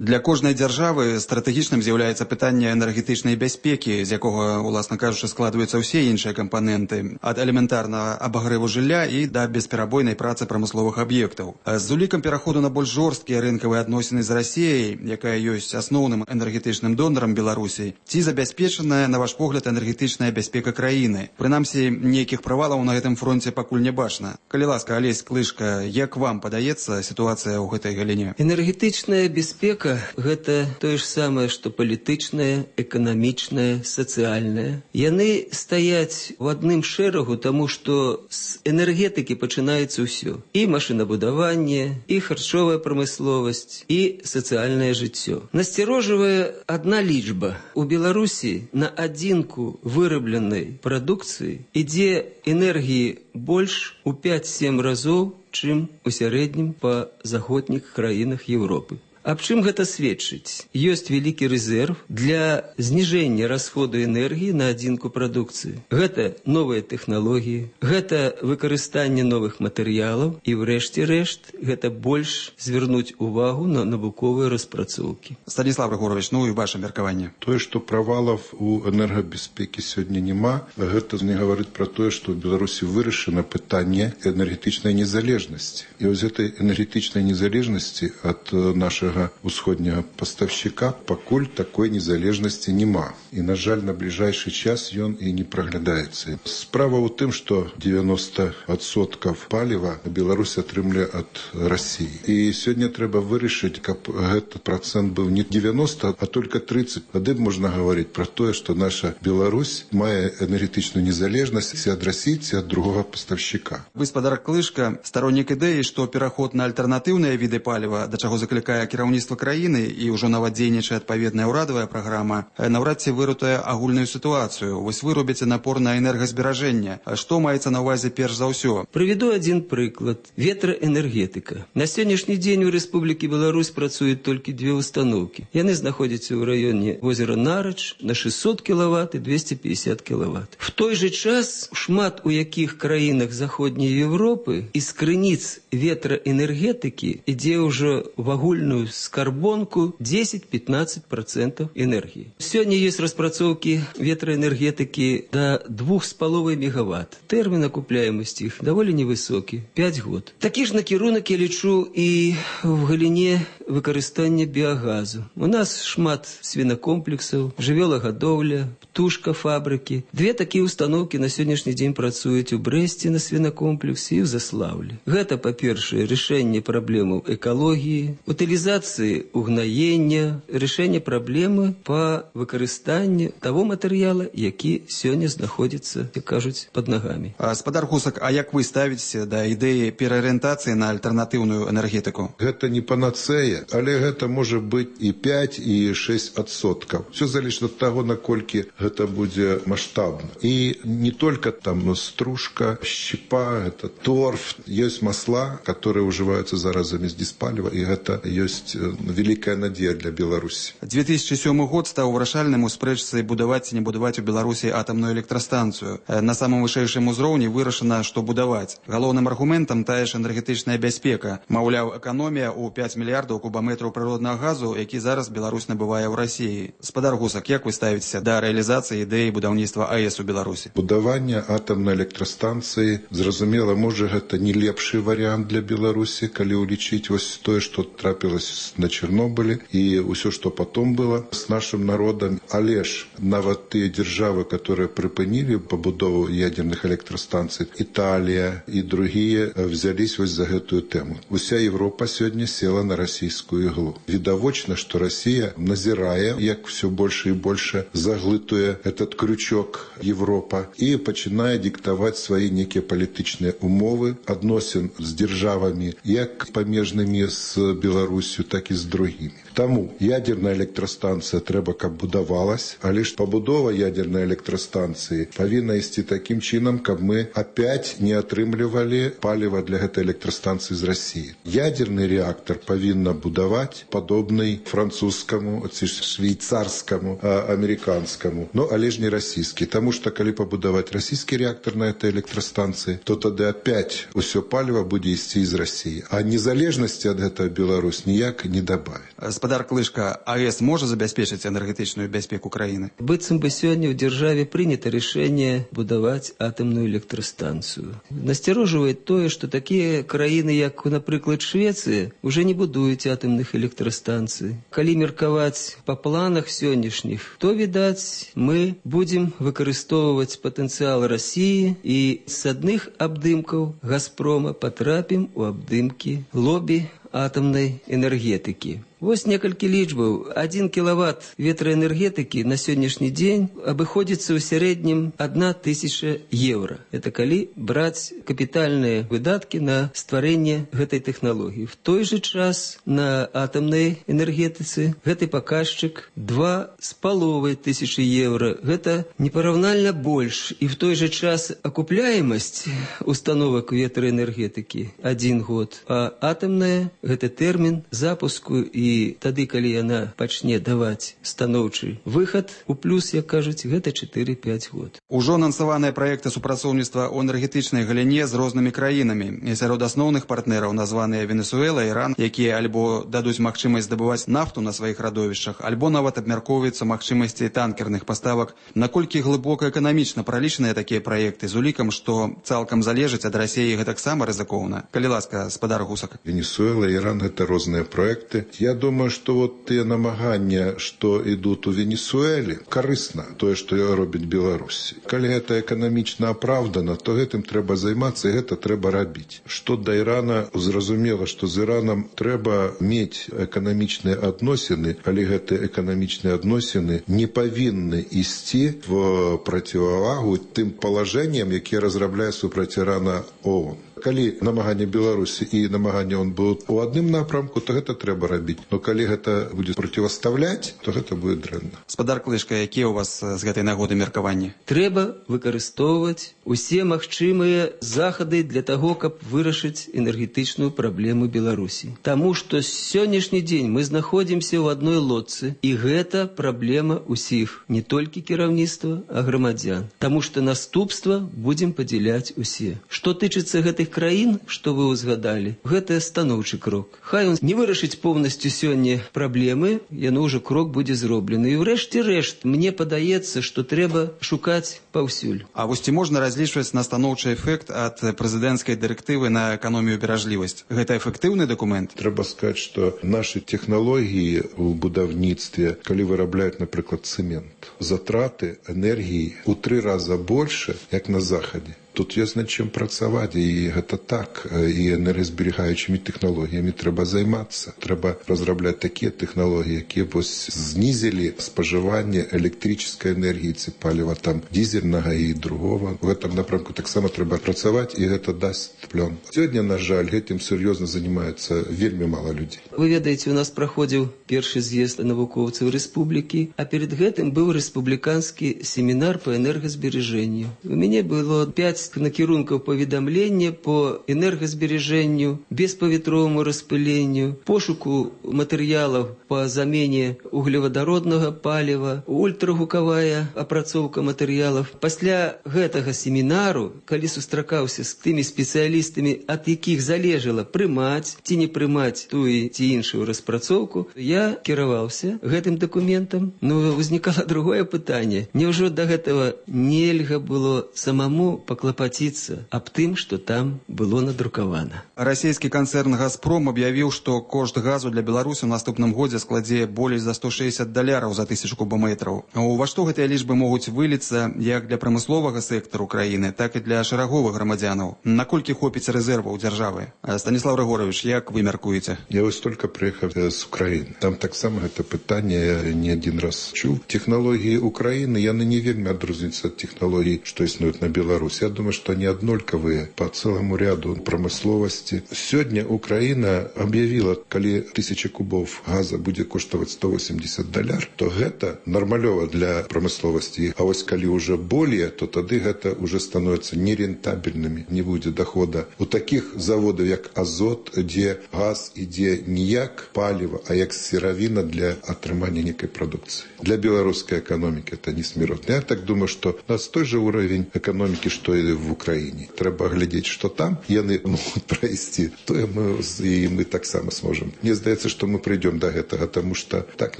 S7: Для кожнай дзяржавы стратэгічным з'яўляецца пытанне энергетычнай бяспекі, з якога, уласна кажучы, складваюцца ўсе іншыя кампаненты, ад элементарнага абагрэву жылля і да бесперабойнай працы прамысловых аб'ектаў. З улікам пераходу на больш жорсткія рынкавыя адносіны з Расіяй, якая ёсць асноўным энергетычным донарам Беларусі, ці забяспечаная, на ваш погляд, энергетычная бяспека краіны? Прынамсі, нейкіх правалаў на гэтым фронце пакуль не бачна. Калі ласка, Алесь Клышка, як вам падаецца сітуацыя ў гэтай галіне?
S8: Энергетычная бяспека гэта тое ж самае, што палітычнае, эканамічнае, сацыяльнае. Яны стаяць у адным шэрагу, таму што з энергетыкі пачынаецца ўсё. І машынабудаванне, і харчовая прамысловасць, і сацыяльнае жыццё. Насцярожвае адна лічба. У Беларусі на адзінку вырабленай прадукцыі ідзе энергіі больш у пяць-сем разоў, чым у сярэднім па заходніх краінах Еўропы. Аб чым гэта сведчыць? Ёсць вялікі рэзерв для зніжэння расходу энергіі на адзінку прадукцыі. Гэта новыя тэхналогіі, гэта выкарыстанне новых матэрыялаў і, врэшце рэшт, гэта больш звярнуць увагу на навуковыя распрацоўкі.
S7: Станіслав Григорович, ну і ваше меркаванне.
S9: Тое, што правалаў у энергабяспекі сёння няма, гэта не гаворыць пра тое, што ў Беларусі вырашана пытанне энергетычнай незалежнасці. І вось гэтай энергетычнай незалежнасці ад нашага усходняга паставшчыка пакуль такой незалежнасці няма. І, на жаль, на бліжэйшы час ён і не праглядаецца. Справа ў тым, што дзевяноста адсоткаў паліва Беларусь атрымле ад Расіі. І сёння трэба вырашыць, каб гэты працэнт быў не дзевяноста, а толькі трыццаць. Тады можна гаварыць пра тое, што наша Беларусь мае энергетычную незалежнасць ці ад Расіі, ці ад другога паставшчыка.
S7: Гаспадар Клышка, староннік ідэі, што пераход на альтэрнатыўныя віды паліва, да чаго заклікае кіраўніцтва краіны і ўжо нават дзейнічае адпаведная ўрадавая праграма, наўрад ці выратуе агульную сітуацыю. Вось вы робіце напор на энергазберажэнне. Што маецца на ўвазе перш за ўсё?
S8: Прыведу адзін прыклад. Ветраэнергетыка. На сённяшні дзень у Рэспублікі Беларусь працуюць толькі две установкі. Яны знаходзяцца ў раёне возера Нарач на шестьсот кілават і двести пятьдесят кілават. В той же час шмат у якіх краінах заходняй Еўропы из крыніц ветраэнергетыкі ідзе ўжо в агульную скарбонку десять-пятнадцать процентов энергии. Сегодня есть распрацоўки ветраэнергетыки до двух с половой мегаватт. Термин окупляемости их довольно невысокий, пять год. Такі ж накірунак я лічу і в галіне выкарыстання биогазу. У нас шмат свинокомплексаў, жывёлагадоўля, птушка фабрики. Две такие установки на сегодняшний день працуюць у Брэсце на свинокомплексе і в Заслаўлі. Гэта, па-першае, рашэнне праблемаў экалогіі, утилизации угнаення, рашэнне праблемы па выкарыстанню того матэрыяла, які сёння знаходзіцца, як кажуць, под ногами.
S7: Гаспадар Гусак, а як вы ставіце да ідэі пераарыентацыі на альтэрнатыўную энергетыку?
S9: Гэта не панацэя, але гэта можа быць і пять, і шесть адсоткаў. Все залежыць ад таго, наколькі гэта будзе маштабна. І не только там стружка, щепа, это торф, ёсць масла, которые ўжываюцца зараз замест диспаліва, і гэта ёсць есть великая надежда для Беларуси.
S7: две тысячи седьмой год стал вырашальным у спрэчцы будаваць ці не будаваць у Беларусі атамную электрастанцыю. На самым вышэйшым узроўні вырашана, што будаваць. Галоўным аргументам тая ж энергетычная бяспека. Маўляў, эканомія ў пяць мільярдаў кубаметраў прыроднага газу, які зараз Беларусь набывае ў Расіі. Спадар Гусак, як вы ставіцеся да рэалізацыі ідэі будаўніцтва АЭС у Беларусі?
S9: Будаванне атамнай электрастанцыі, зразумела, можа гэта не лепшы варыянт для Беларусі, калі ўлічыць вось тое, што трапілася на Чорнобылі і ўсё, што потом было з нашым народам. Але ж нават тыя дзяржавы, которые прыпынілі пабудову ядерных электрастанцый, Італія і другія взялись вось за гэтую тэму. Уся Европа сёння села на расійскую іглу. Відавочна, што Расія назірае, як все больше і больше заглытуе этот крючок Европа і пачынае диктаваць свае некія палітычныя умовы адносін з дзяржавамі, як памежнымі з Беларусью, так і з другімі. Таму ядерная электрастанцыя трэба, каб будавалась, але ж пабудова ядерной электрастанцыі павінна ісці такім чынам, каб мы опять не атрымлівалі паліва для гэтай электрастанцыі з Расіі. Ядерны реактор павінна будаваць падобны французскаму ці швейцарскаму, американскаму, но але ж не расійскі, таму што калі пабудаваць расійскі реактор на этой электрастанцыі, то тады опять усё паліва будзе ісці з Расіі, а незалежнасці ад гэтага Беларусь ніяк не дабавіць.
S7: Спадар Клышка, АЭС можа забяспечыць энергетычную бяспеку краіны?
S8: Быццам бы сёння ў дзяржаве прынята рашэнне будаваць атамную электрастанцыю. Насцярожвае тое, што такія краіны, як, напрыклад, Швецыя, уже не будуюць атамных электрастанцый. Калі меркаваць па планах сённяшніх, то, відаць, мы будзем выкарыстоўваць патэнцыял Расіі і з адных абдымкаў Газпрома патрапім у абдымкі лобі атамнай энергетыкі. Вось некалькі лічбаў. Один кілават ветраэнергетыкі на сённяшні дзень абыходзіцца ў сярэднім одна тысяча еўра. Это калі браць капітальныя выдаткі на стварэнне гэтай тэхналогіі. В той же час на атамнай энергетыцы гэты паказчык два з паловай тысячы еўра. Гэта непараўнальна больш. І в той же час акупляемасць установак ветраэнергетыкі один год, а атамная гэта тэрмін запуску і І тады, калі яна пачне даваць станоўчы выхад у плюс, як кажуць, гэта чатыры-пяць год.
S7: Ужо анансаваныя праекты супрацоўніцтва ў энергетычнай галіне з рознымі краінамі. І сярод асноўных партнераў названыя Венесуэла, Іран, якія альбо дадуць магчымасць здабываць нафту на сваіх радовішчах, альбо нават абмяркоўваюцца магчымасці танкерных паставак. Наколькі глыбока эканамічна пралічаныя такія праекты з улікам, што цалкам залежыць ад Расіі гэтаксама рызыкоўна? Калі ласка, спадар Гусак.
S9: Венесуэла, Іран — гэта розныя праекты. Я думаю, что вот те намагання, что идут у Венесуэле, корыстно тое, что робіць Беларусь. Калі гэта эканамічна апраўдана, то гэтым трэба займацца і гэта трэба рабіць. Што да Ірана, зразумела, што з Іранам трэба мець эканамічныя адносіны, але гэтыя эканамічныя адносіны не павінны ісці в процівавагу тым палажэнням, якія разрабляе супраць Ірана ООН. Калі намаганне Беларусі і намаганне он будуць у адным напрамку, то гэта трэба рабіць. Но калі гэта будзе проціваставляць, то гэта будзе дрэнна.
S7: Спадар Клышка, якія ў вас з гэтай нагоды меркаванні?
S8: Трэба выкарыстоўваць усе магчымыя захады для таго, каб вырашыць энергетычную праблему Беларусі. Таму што сённяшні дзень мы знаходзімся ў адной лодцы, і гэта праблема ўсіх, не толькі кіраўніцтва, а грамадзян. Таму што наступства будзем падзяляць усе. Што тычыцца гэтых краін, што вы узгадалі, гэта станоўчы крок. Хай он не вырашыць поўнасцю сёння праблемы, яно ўжо крок будзе зроблены. І ўрэшце рэшт, мне падаецца, што трэба шукаць паўсюль.
S7: А вось ці можна разлічваць на станоўчы эфект ад прэзідэнцкай дырэктывы на эканомію беражлівасць? Гэта эфектыўны дакумент?
S9: Трэба сказаць, што нашы тэхналогіі ў будаўніцтве, калі вырабляюць, напрыклад, цэмент, затраты энергіі ў тры раза больше, як на захадзе. Тут ёсць над чым працаваць, і гэта так. І энергазберагаючымі тэхналогіямі трэба займацца. Трэба разрабляць такія тэхналогіі, якія б знізілі спажыванне электрычнай энергіі ці паліва там дізельнага і другого. У гэтым напрамку таксама трэба працаваць, і гэта дасць плён. Сёння, на жаль, гэтым сур'ёзна займаецца вельмі мала людзей.
S8: Вы ведаеце, у нас праходзіў першы з'езд навукоўцаў рэспублікі, а перед гэтым быў рэспубліканскі семінар па энергазбережэнню. У мяне было пяць шукаць накірункаў паведамлення по энергазбережэнню, беспаветроваму распыленню, пошуку матэрыялаў по замене углеводороднага паліва, ультрагукавая апрацоўка матэрыялаў. Пасля гэтага семінару, калі сустракаўся з тымі спецыялістамі, ад якіх залежала прымаць ці не прымаць тую ці іншую распрацоўку, я кіраваўся гэтым дакументам. Но ўзнікала другое пытанне. Няўжо да гэтага нельга было самому паклапаціцца аб тым, што там было надрукавана?
S7: Расійскі канцэрн «Газпром» аб'явіў, што кошт газу для Беларусі ў наступным годзе складзе болей за сто шэсцьдзесят даляраў за тысячу кубометраў. Ува што гэтыя лічбы могуць выліцца як для прамысловага сектару краіны, так і для шараговых грамадзянаў? Наколькі хопіць рэзерваў дзяржавы? Станіслав Григорович, як вы мяркуеце?
S9: Я вось толькі прыехаў з Украіны. Там таксама гэта пытанне я не адзін раз чуў. Технологіі Украіны, яны не вельмі адрозніваюцца ад технологій, што існуюць на Беларусі. Я думаю, што они аднолькавыя по цэламу ряду прамысловасці. Сёння Украіна аб'явіла, калі тысяча кубов газа будзе коштаваць сто восемьдесят даляр, то гэта нармалёва для прамысловасці. А вось калі ўжо более, то тады гэта ўжо становіцца нерентабельнымі, не будзе дохода. У такіх заводаў, як Азот, дзе газ ідзе не як паліва, а як сыравіна для атрымання некай прадукцыі. Для беларускай эканомікі это не смяротна. Я так думаю, што у нас той же уровень эканомікі, што і в Украіне. Трэба глядзець, што там яны могуць прайсці, то мы, і мы таксама сможам. Мне здаецца, што мы прыйдём до гэтага, тому што так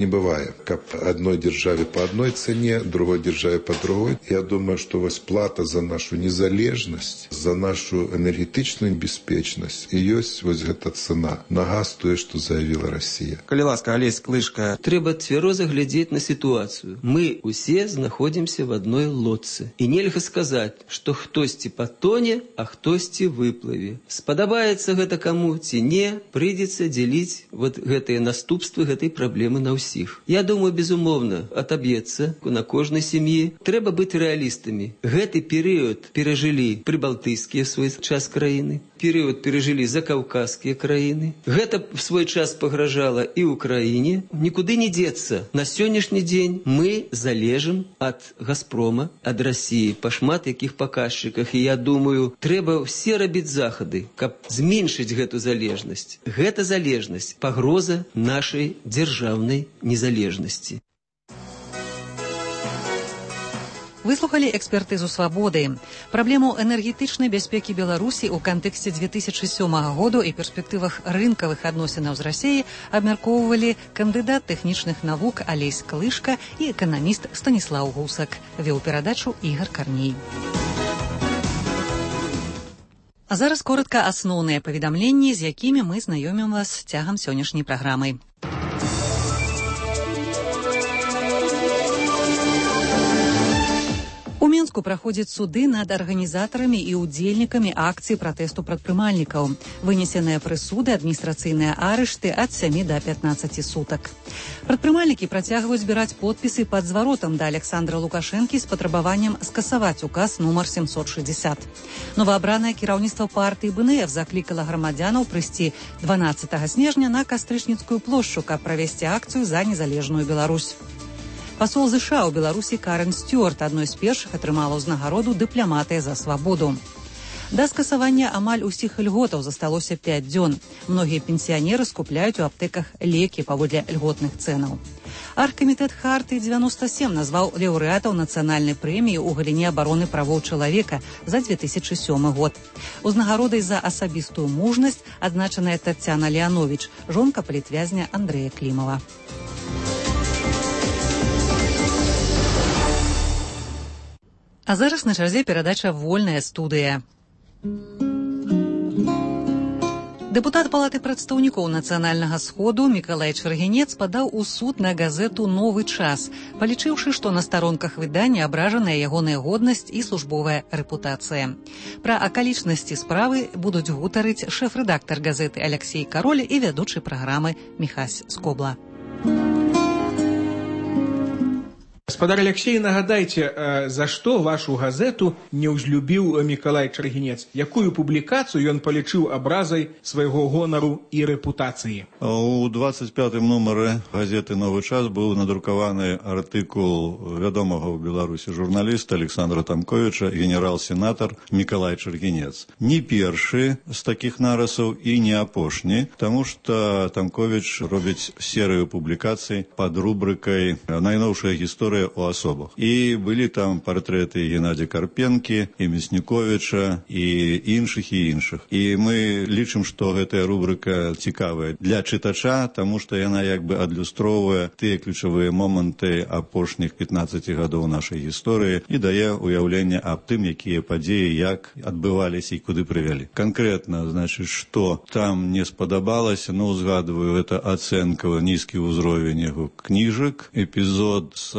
S9: не бывае. Каб адной дзяржаве по адной цэне, другой дзяржаве по другой. Я думаю, што вось плата за нашу незалежнасць, за нашу энергетычную бяспечнасць і ёсць вось гэта цена на газ, тое, што заявіла Расія.
S7: Калі ласка, Алесь Клышка.
S8: Трэба цвяроза глядзець на ситуацию. Мы усе знаходзімся в одной лодцы. І нельга сказаць, што хтосьці патоне, а хтосьці выплыве. Спадабаецца гэта каму ці не, прыйдзецца дзеліць вот гэтыя наступствы гэтай праблемы на ўсіх. Я думаю, безумоўна, атаб'ецца на кожнай сям'і. Трэба быць рэалістамі. Гэты перыяд перажылі прыбалтыйскія свой час краіны, перыяд перажылі закаўказскія краіны. Гэта в свой час пагражала і Украіне. Нікуды не дзецца. На сённяшні дзень мы залежым ад Газпрома, ад Расіі па шмат якіх паказчыках. І я думаю, трэба ўсе рабіць захады, каб зменшыць гэту залежнасць. Гэта залежнасць пагроза нашай дзяржаўнай незалежнасці.
S1: Выслухалі экспертызу «Свабоды». Праблему энергетычнай бяспекі Беларусі ў кантэксце две тысячы сёмага году і перспектывах рынкавых адносінаў з Расіяй абмяркоўвалі кандыдат тэхнічных навук Алесь Клышка і эканаміст Станіслаў Гусак. Вёў перадачу Ігар Карней. А зараз коротка асноўныя паведамленні, з якімі мы знаёмім вас цягам сённяшняй праграмы. У Мінску праходзяць суды над арганізатарамі і ўдзельнікамі акцыі пратэсту прадпрымальнікаў. Вынесеныя прысуды, адміністрацыйныя арышты ад сямі да пятнаццаці сутак. Прадпрымальнікі працягваюць збіраць подпісы пад зваротам да Александра Лукашэнкі з патрабаваннем скасаваць указ нумар семьсот шестьдесят. Новаабранае кіраўніцтва партыі БНФ заклікала грамадзянаў прыйсці дванаццатага снежня на Кастрычніцкую плошчу, каб правесці акцыю за незалежную Беларусь. Пасол ЗША ў Беларусі Карен Стюарт адной з першых атрымала ўзнагароду дыпламатыя за свабоду. Да скасавання амаль усіх льготаў засталося пяць дзён. Многія пенсіянеры скупляюць у аптэках лекі паводле льготных цэнаў. Аргкамітэт Хартыі дзевяноста сем назваў лаўрэатаў нацыянальнай прэміі ў галіне абароны правоў чалавека за две тысячы сёмы год. Узнагародай за асабістую мужнасць адзначаная Таццяна Леановіч, жонка палітвязня Андрэя Клімава. А зараз на чарзе перадача «Вольная студыя». Дэпутат Палаты прадстаўнікоў Нацыянальнага сходу Мікалай Чаргінец падаў у суд на газету «Новы час», палічыўшы, што на старонках выдання абражаная ягоная годнасць і службовая рэпутацыя. Пра акалічнасці справы будуць гутарыць шэф-рэдактар газеты Аляксей Кароль і вядучы праграмы Міхась Скобла.
S10: Гаспадар Алексей, нагадайце, за што вашу газету не ўзлюбіў Мікалай Чаргінец? Якую публікацыю ён палічыў абразай свайго гонару і рэпутацыі?
S18: У двадцать пятым нумары газеты «Новы час» быў надрукаваны артыкул вядомага ў Беларусі журналіста Александра Тамковіча, генерал-сенатар Мікалай Чаргінец. Не першы з такіх нарысаў і не апошні, таму што Тамковіч робіць серыю публікацый пад рубрыкай «Найноўшая гісторыя ў асобах». І былі там партрэты Геннадзя Карпенкі, і Мясніковіча, і іншых і іншых. І мы лічым, што гэтая рубрыка цікавая для чытача, таму што яна як бы адлюстроўвае тыя ключавыя моманты апошніх пятнаццаці гадоў нашай гісторыі і дае ўяўленне аб тым, якія падзеі, як адбываліся і куды прывялі. Канкрэтна, значыць, што там не спадабалася, ну, узгадываю, это ацэнка, нізкі ўзровень яго кніжак, эпізод з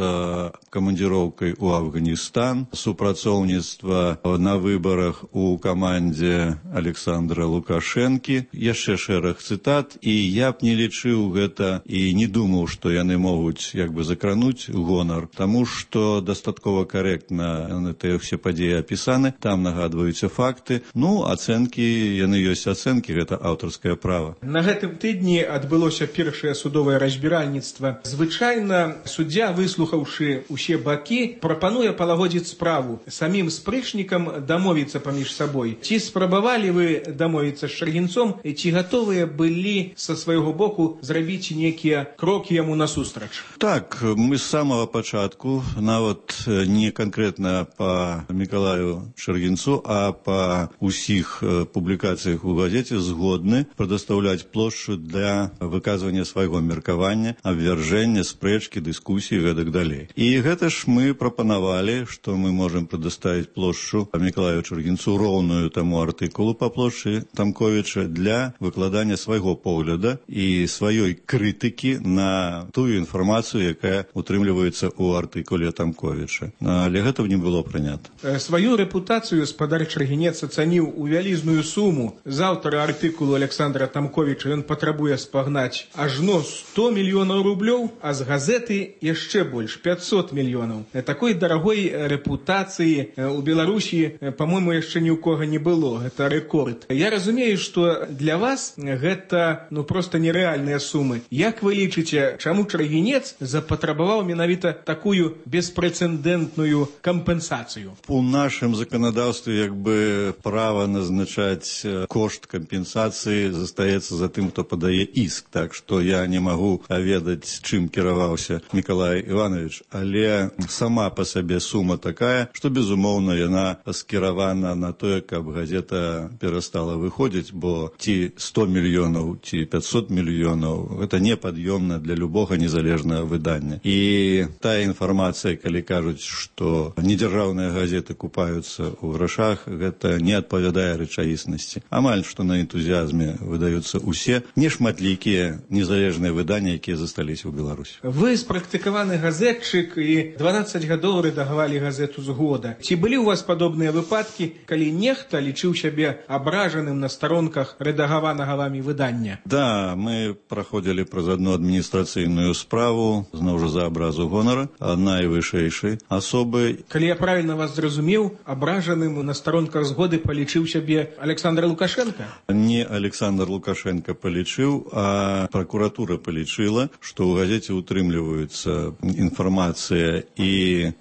S18: камандзіроўкай у Афганістан, супрацоўніцтва на выбарах у камандзе Александра Лукашэнкі, яшчэ шэраг цытат, і я б не лічыў гэта і не думаў, што яны могуць як бы закрануць гонар, таму што дастаткова карэктна тыя ўсе падзеі апісаны, там нагадваюцца факты, ну, ацэнкі, яны ёсць ацэнкі, гэта аўтарскае права.
S10: На гэтым тыдні адбылося першае судовае разбіральніцтва. Звычайна суддзя, выслухаўшы усе бакі, прапануе палагодзіць справу, самім спрэчнікам дамовіцца паміж сабой. Ці спрабавалі вы дамовіцца з Чаргінцом, ці гатовыя былі са свайго боку зрабіць нейкія крокі яму насустрач?
S18: Так, мы з самага пачатку, нават не канкрэтна па Мікалаю Чаргінцу, а па усіх публікацыях у газеце згодны прадастаўляць плошчу для выказвання свайго меркавання, абвяржэння, спрэчкі, дыскусіі і гэтак далей. І гэта ж мы прапанавалі, што мы можам прадаставіць плошчу Мікалаю Чаргінцу роўную таму артыкулу па плошчы Тамковіча для выкладання свайго погляда і сваёй крытыкі на тую інфармацыю, якая утрымліваецца ў артыкуле Тамковіча. Але гэта не было прынята.
S10: Сваю рэпутацыю спадар Чаргінец ацаніў у вялізную суму. З аўтара артыкулу Александра Тамковіча ён патрабуе спагнаць ажно сто мільёнаў рублёў, а з газеты яшчэ больш пятьсот мільёнаў. Такой дарагой рэпутацыі у Беларусі, па-мойму, яшчэ ні ў кога не было. Гэта рэкорд. Я разумею, што для вас гэта ну проста нерэальныя сумы. Як вы лічыце, чаму Чаргінец запатрабаваў менавіта такую беспрэцэдэнтную кампенсацыю?
S18: У нашым заканадаўстве як бы права назначаць кошт кампенсацыі застаецца за тым, хто падае іск. Так што я не магу ведаць, чым кіраваўся Мікалай Іванович, але сама па сабе сума такая, што, безумоўна, яна скіравана на тое, каб газета перастала выходзіць, бо ці сто мільёнаў, ці пятьсот мільёнаў, гэта непад'ёмна для любога незалежнага выдання. І тая інфармацыя, калі кажуць, што недзяржаўныя газеты купаюцца ў грашах, гэта не адпавядае рэчаіснасці. Амаль што на энтузіазме выдаюцца усе нешматлікія незалежныя выданні, якія засталіся ў Беларусі.
S10: Вы спрактыкаваны газетчык і дванаццаць гадоў рэдагавалі газету «Згода». Ці былі ў вас падобныя выпадкі, калі нехта лічыў сябе абражаным на старонках рэдагаванага вамі выдання?
S18: Да, мы праходзілі праз адну адміністрацыйную справу, зноў жа за абразу гонара, найвышэйшай асобы.
S10: Калі я правільна вас зразумеў, абражаным на старонках «Згоды» палічыў сябе Александр Лукашенко?
S18: Не Александр Лукашенко палічыў, а пракуратура палічыла, што ў газеце утрымліваюцца інфармацыя і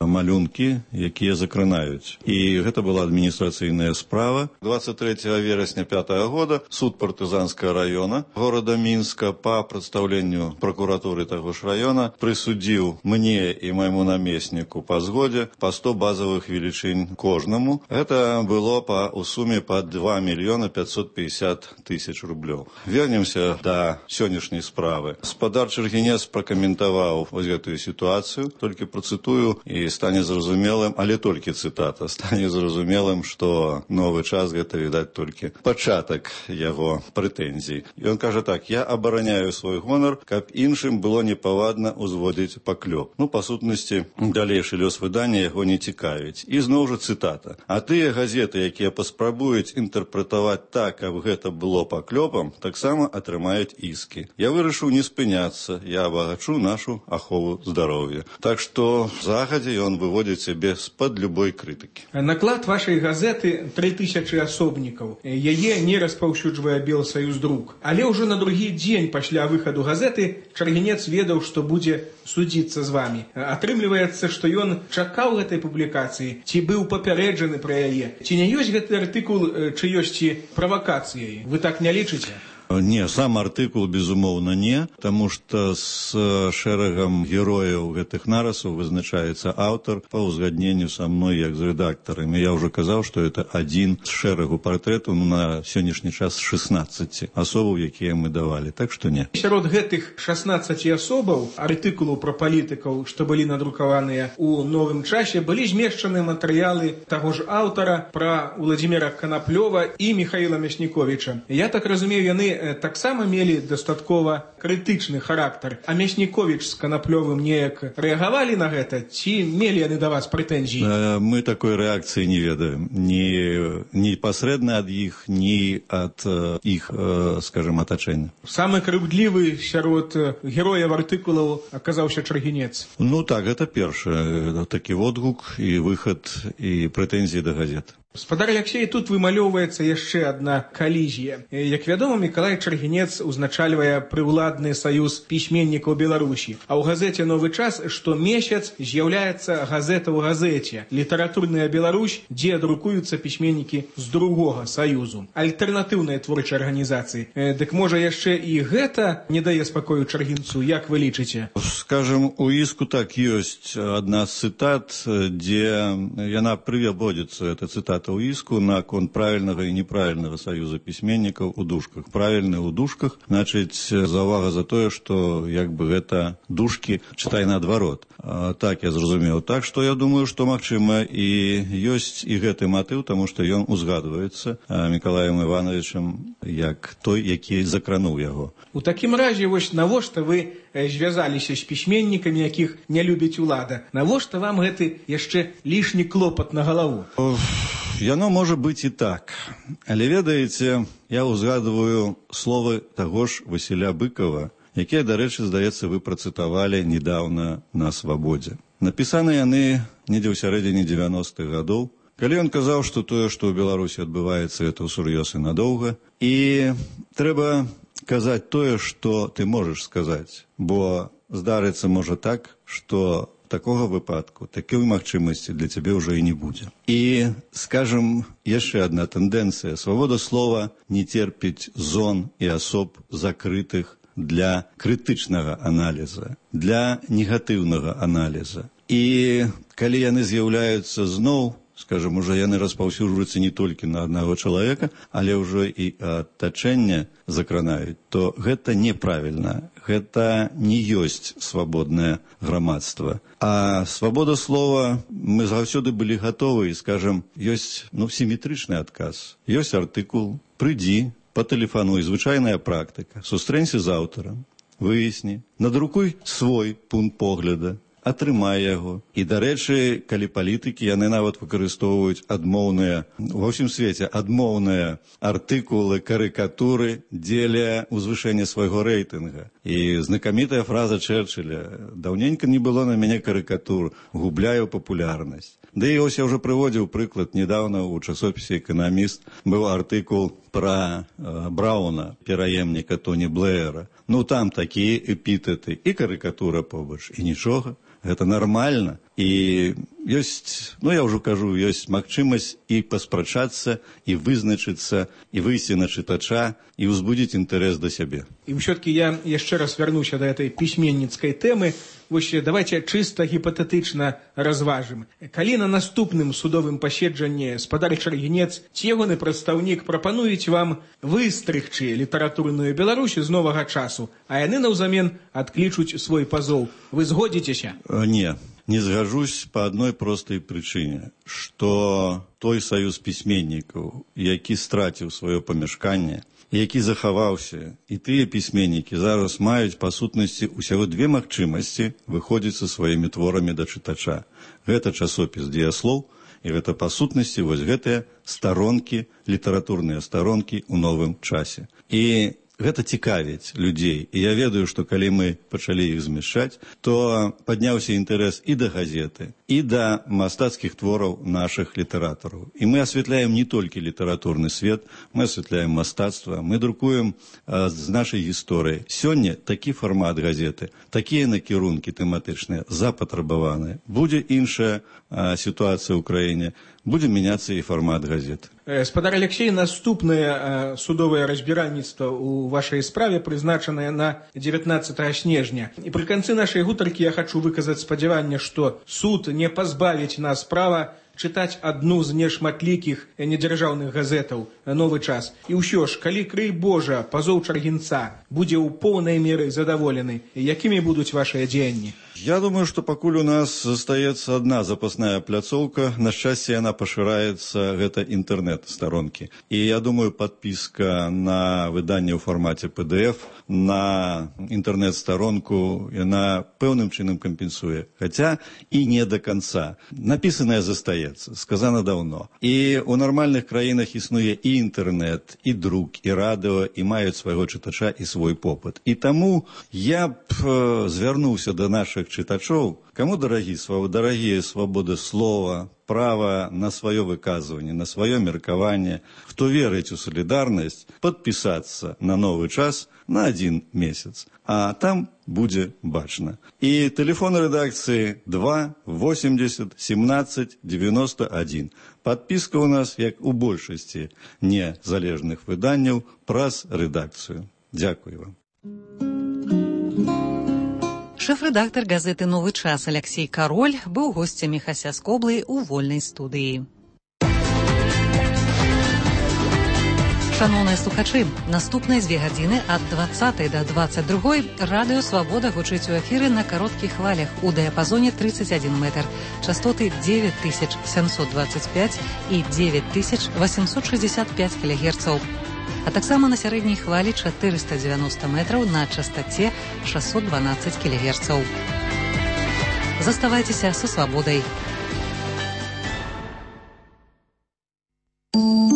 S18: малюнкі, якія закранаюць. І гэта была адміністрацыйная справа. двадцать третьего верасня пятого года суд партызанскага района города Мінска па прадстаўленню пракуратуры таго ж района прысудзіў мне і майму намесніку па згодзе па сто базавых велічынь кожнаму. Гэта было па у суме па два мільёны пятьсот пятьдесят тысяч рублёў. Вернемся да сённяшняй справы. Спадар Чаргінец пракаментаваў вось гэтую сітуацыю, толькі працытую і стане зразумелым, але толькі цытата, стане зразумелым, што новы час гэта, відаць, толькі пачатак яго прэтэнзій. Ён кажа так: я абараняю свой гонар, каб іншым было непавадна ўзводзіць паклёп. Ну, па сутнасці, далейшы лёс выдання яго не цікавіць. І зноў жа цытата. А тыя газеты, якія паспрабуюць інтэрпрэтаваць так, каб гэта было паклёпам, таксама атрымаюць іскі. Я вырашыў не спыняцца, я абагачу нашу ахову здароўя. Так што что загадзя ён выводзіць сябе з-пад любой крытыкі.
S10: Наклад вашай газеты тры тысячы асобнікаў. Яе не распаўсюджвае Белсаюздрук. Але ўжо на другі дзень пасля выхаду газеты Чаргінец ведаў, што будзе судзіцца з вамі. Атрымліваецца, што ён чакаў гэтай публікацыі, ці быў папярэджаны пра яе. Ці не ёсць гэты артыкул чыёсьці правакацыяй? Вы так не лічыце?
S18: Не, сам артыкул, безумоўна, не, таму што з шэрагам герояў гэтых нарысаў вызначаецца аўтар па ўзгадненню са мной як з рэдактарам. І я ўжо казаў, што гэта адзін з шэрагу партрэтаў на сённяшні час шэснаццаці асобаў, якія мы давалі. Так што не.
S10: Сярод гэтых шэснаццаці асобаў артыкулаў пра палітыкаў, што былі надрукаваныя ў новым часе, былі змешчаны матэрыялы таго ж аўтара пра Уладзіміра Канаплёва і Міхаіла Мясніковіча. Я так разумею, яны таксама мелі дастаткова крытычны характар. А Мясніковіч з Канаплёвым неяк рэагавалі на гэта? Ці мелі яны да вас прэтэнзіі?
S18: Мы такой рэакцыі не ведаем. Ні непасрэдна ад іх, ні ад іх, скажем, атачэння.
S10: Самы крыўдлівы сярод герояў артыкулаў аказаўся Чаргінец.
S18: Ну так, гэта першы такі водгук і выхад і прэтэнзіі да газет.
S10: Спадар Алексей, тут вымалёўваецца яшчэ адна калізія. Як вядома, Мікалай Чаргінец узначальвае прыўладны саюз пісьменнікаў Беларусі. А ў газеце «Новы час» штомесяц з'яўляецца газета ў газеце «Літаратурная Беларусь», дзе друкуюцца пісьменнікі з другога саюзу. Альтэрнатыўныя творчыя арганізацыі. Дык можа яшчэ і гэта не дае спакою Чаргінцу, як вы лічыце?
S18: Скажем, у іску так ёсць адна з цытат, дзе яна прыводзіцца, эта цытата у іску наконт правільнага і неправільнага саюза пісьменнікаў у дужках. Правільны ў дужках, значыць, заўвага за тое, што як бы гэта дужкі чытай наадварот. Так я зразумеў. Так што я думаю, што магчыма і ёсць і гэты матыў, таму што ён узгадваецца Мікалаем Івановичам як той, які закрануў яго.
S10: У такім разе, вось навошта вы звязаліся з пісьменнікамі, якіх не любіць улада? Навошта вам гэты яшчэ лішні клопат на галаву?
S18: Яно можа быць і так. Але ведаеце, я ўзгадваю словы таго ж Васіля Быкова, якія, дарэчы, здаецца, вы працытавалі недаўна на Свабодзе. Напісаны яны недзе ў сярэдзіне дзевяностых гадоў, калі ён казаў, што тое, што ў Беларусі адбываецца, гэта ўсур'ёз і надоўга. І трэба казаць тое, што ты можаш сказаць, бо здарыцца можа так, што такога выпадку, такой магчымасці для цябе ўжо і не будзе. І, скажем, яшчэ адна тэндэнцыя. Свабода слова не терпіць зон і асоб закрытых для крытычнага аналіза, для негатыўнага аналіза. І калі яны з'яўляюцца зноў, скажем, уже яны распаўсюджваюцца не толькі на аднаго чалавека, але ўжо і атачэнне закранаюць, то гэта неправільна. Гэта не ёсць свабоднае грамадства. А свабода слова, мы заўсёды былі гатовы, і, скажем, ёсць ну, сіметрычны адказ. Ёсць артыкул, прыйдзі, патэлефануй, звычайная практыка, сустрэнься з аўтарам, выясні, надрукуй свой пункт погляда, атрымай яго. І, дарэчы, калі палітыкі, яны нават выкарыстоўваюць адмоўныя, ва ўсім свеце, адмоўныя артыкулы, карыкатуры дзеля ўзвышэння свайго рэйтынга. І знакамітая фраза Чэрчыля: «Даўненька не было на мяне карыкатур, губляю папулярнасць». Да і ось я ўжо прыводзіў прыклад недаўна ў часопісе «Эканаміст» быў артыкул пра э, Брауна, пераемніка Тоні Блэера. Ну там такія эпітэты і карыкатура побач, і нічога. Гэта нармальна. І ёсць, ну я ўжо кажу, ёсць магчымасць і паспрачацца, і вызначыцца, і выйсці на чытача, і ўзбудзіць інтарэс да сябе.
S10: І ўсё-таки я яшчэ раз вярнуся да этой пісьменніцкай тэмы. Вось давайте чыста гіпатэтычна разважым. Калі на наступным судовым паседжанні спадар Чаргінец ці ягоны прадстаўнік прапануюць вам выстрыгчы літаратурную Беларусь з новага часу, а яны наўзамен адклічуць свой пазоў, вы згодзіцеся?
S18: Не. Не згажусь па адной простай прычыне, што той саюз пісьменнікаў, які страціў сваё памяшканне, які захаваўся, і тыя пісьменнікі зараз маюць па сутнасці ўсяго две магчымасці выходзіць са сваімі творамі да чытача. Гэта часопіс «Дыяслоў», і гэта па сутнасці вось гэтыя старонкі, літаратурныя старонкі ў новым часе. І гэта цікавіць людзей. І я ведаю, што калі мы пачалі іх змяшчаць, то падняўся інтарэс і да газеты, і да мастацкіх твораў нашых літаратараў. І мы асвятляем не толькі літаратурны свет, мы асвятляем мастацтва, мы друкуем а, з нашай гісторыі. Сёння такі фармат газеты, такія накірункі тэматычныя запатрабаваныя. Будзе іншая а, сітуацыя ў краіне, будзе мяняцца і фармат газеты.
S10: Спадар Алексей, наступнае судовае разбіральніцтва ў вашай справе прызначанае на дзевятнаццатага снежня. І пры канцы нашай гутаркі я хачу выказаць спадзяванне, што суд не пазбавіць нас права чытаць адну з нешматлікіх недзяржаўных газетаў «Новы час». І ўсё ж, калі, крый Божа, пазоў чаргінца будзе ў поўнай меры задаволены, якімі будуць вашыя дзеянні?
S18: Я думаю, что покуль у нас застаецца одна запасная пляцоўка, на шчасце яна пашыраецца, гэта інтэрнэт-старонкі. І я думаю, подпіска на выданне ў фармаце пэ дэ эф, на інтэрнэт-старонку, яна пэўным чынам кампенсуе. Хаця і не до конца. Напісанае застаецца, сказана даўно. І ў нармальных краінах існуе і інтэрнэт, і друк, і радыо, і маюць свайго чытача і свой попыт. І таму я б э, звярнуўся да нашых чытачоў, каму дарагі, дарагія свабода слова, права на сваё выказванне, на сваё меркаванне, хто верыць у салідарнасць, падпісацца на новы час на адзін месяц. А там будзе бачна. І тэлефон рэдакцыі два восемьдесят семнадцать девяносто один. Падпіска ў нас, як у большасці незалежных выданняў, праз рэдакцыю. Дзякую вам.
S1: Шэф-рэдактар газеты «Новы час» Алексей Кароль быў госцем Міхася Скоблы ў вольнай студыі. Шановныя слухачы, наступныя дзве гадзіны ад двадцатай да двадцать другой радыё «Свабода» гучыць у эфіры на кароткіх хвалях у дыяпазоне тридцать один метр, частоты девять тысяч семьсот двадцать пять і девять тысяч восемьсот шестьдесят пять кілогерцаў. А таксама на сярэдняй хвалі чатырыста дзевяносто метраў на частаце шестьсот двенадцать кілогерцаў. Заставайцеся са «Свабодай».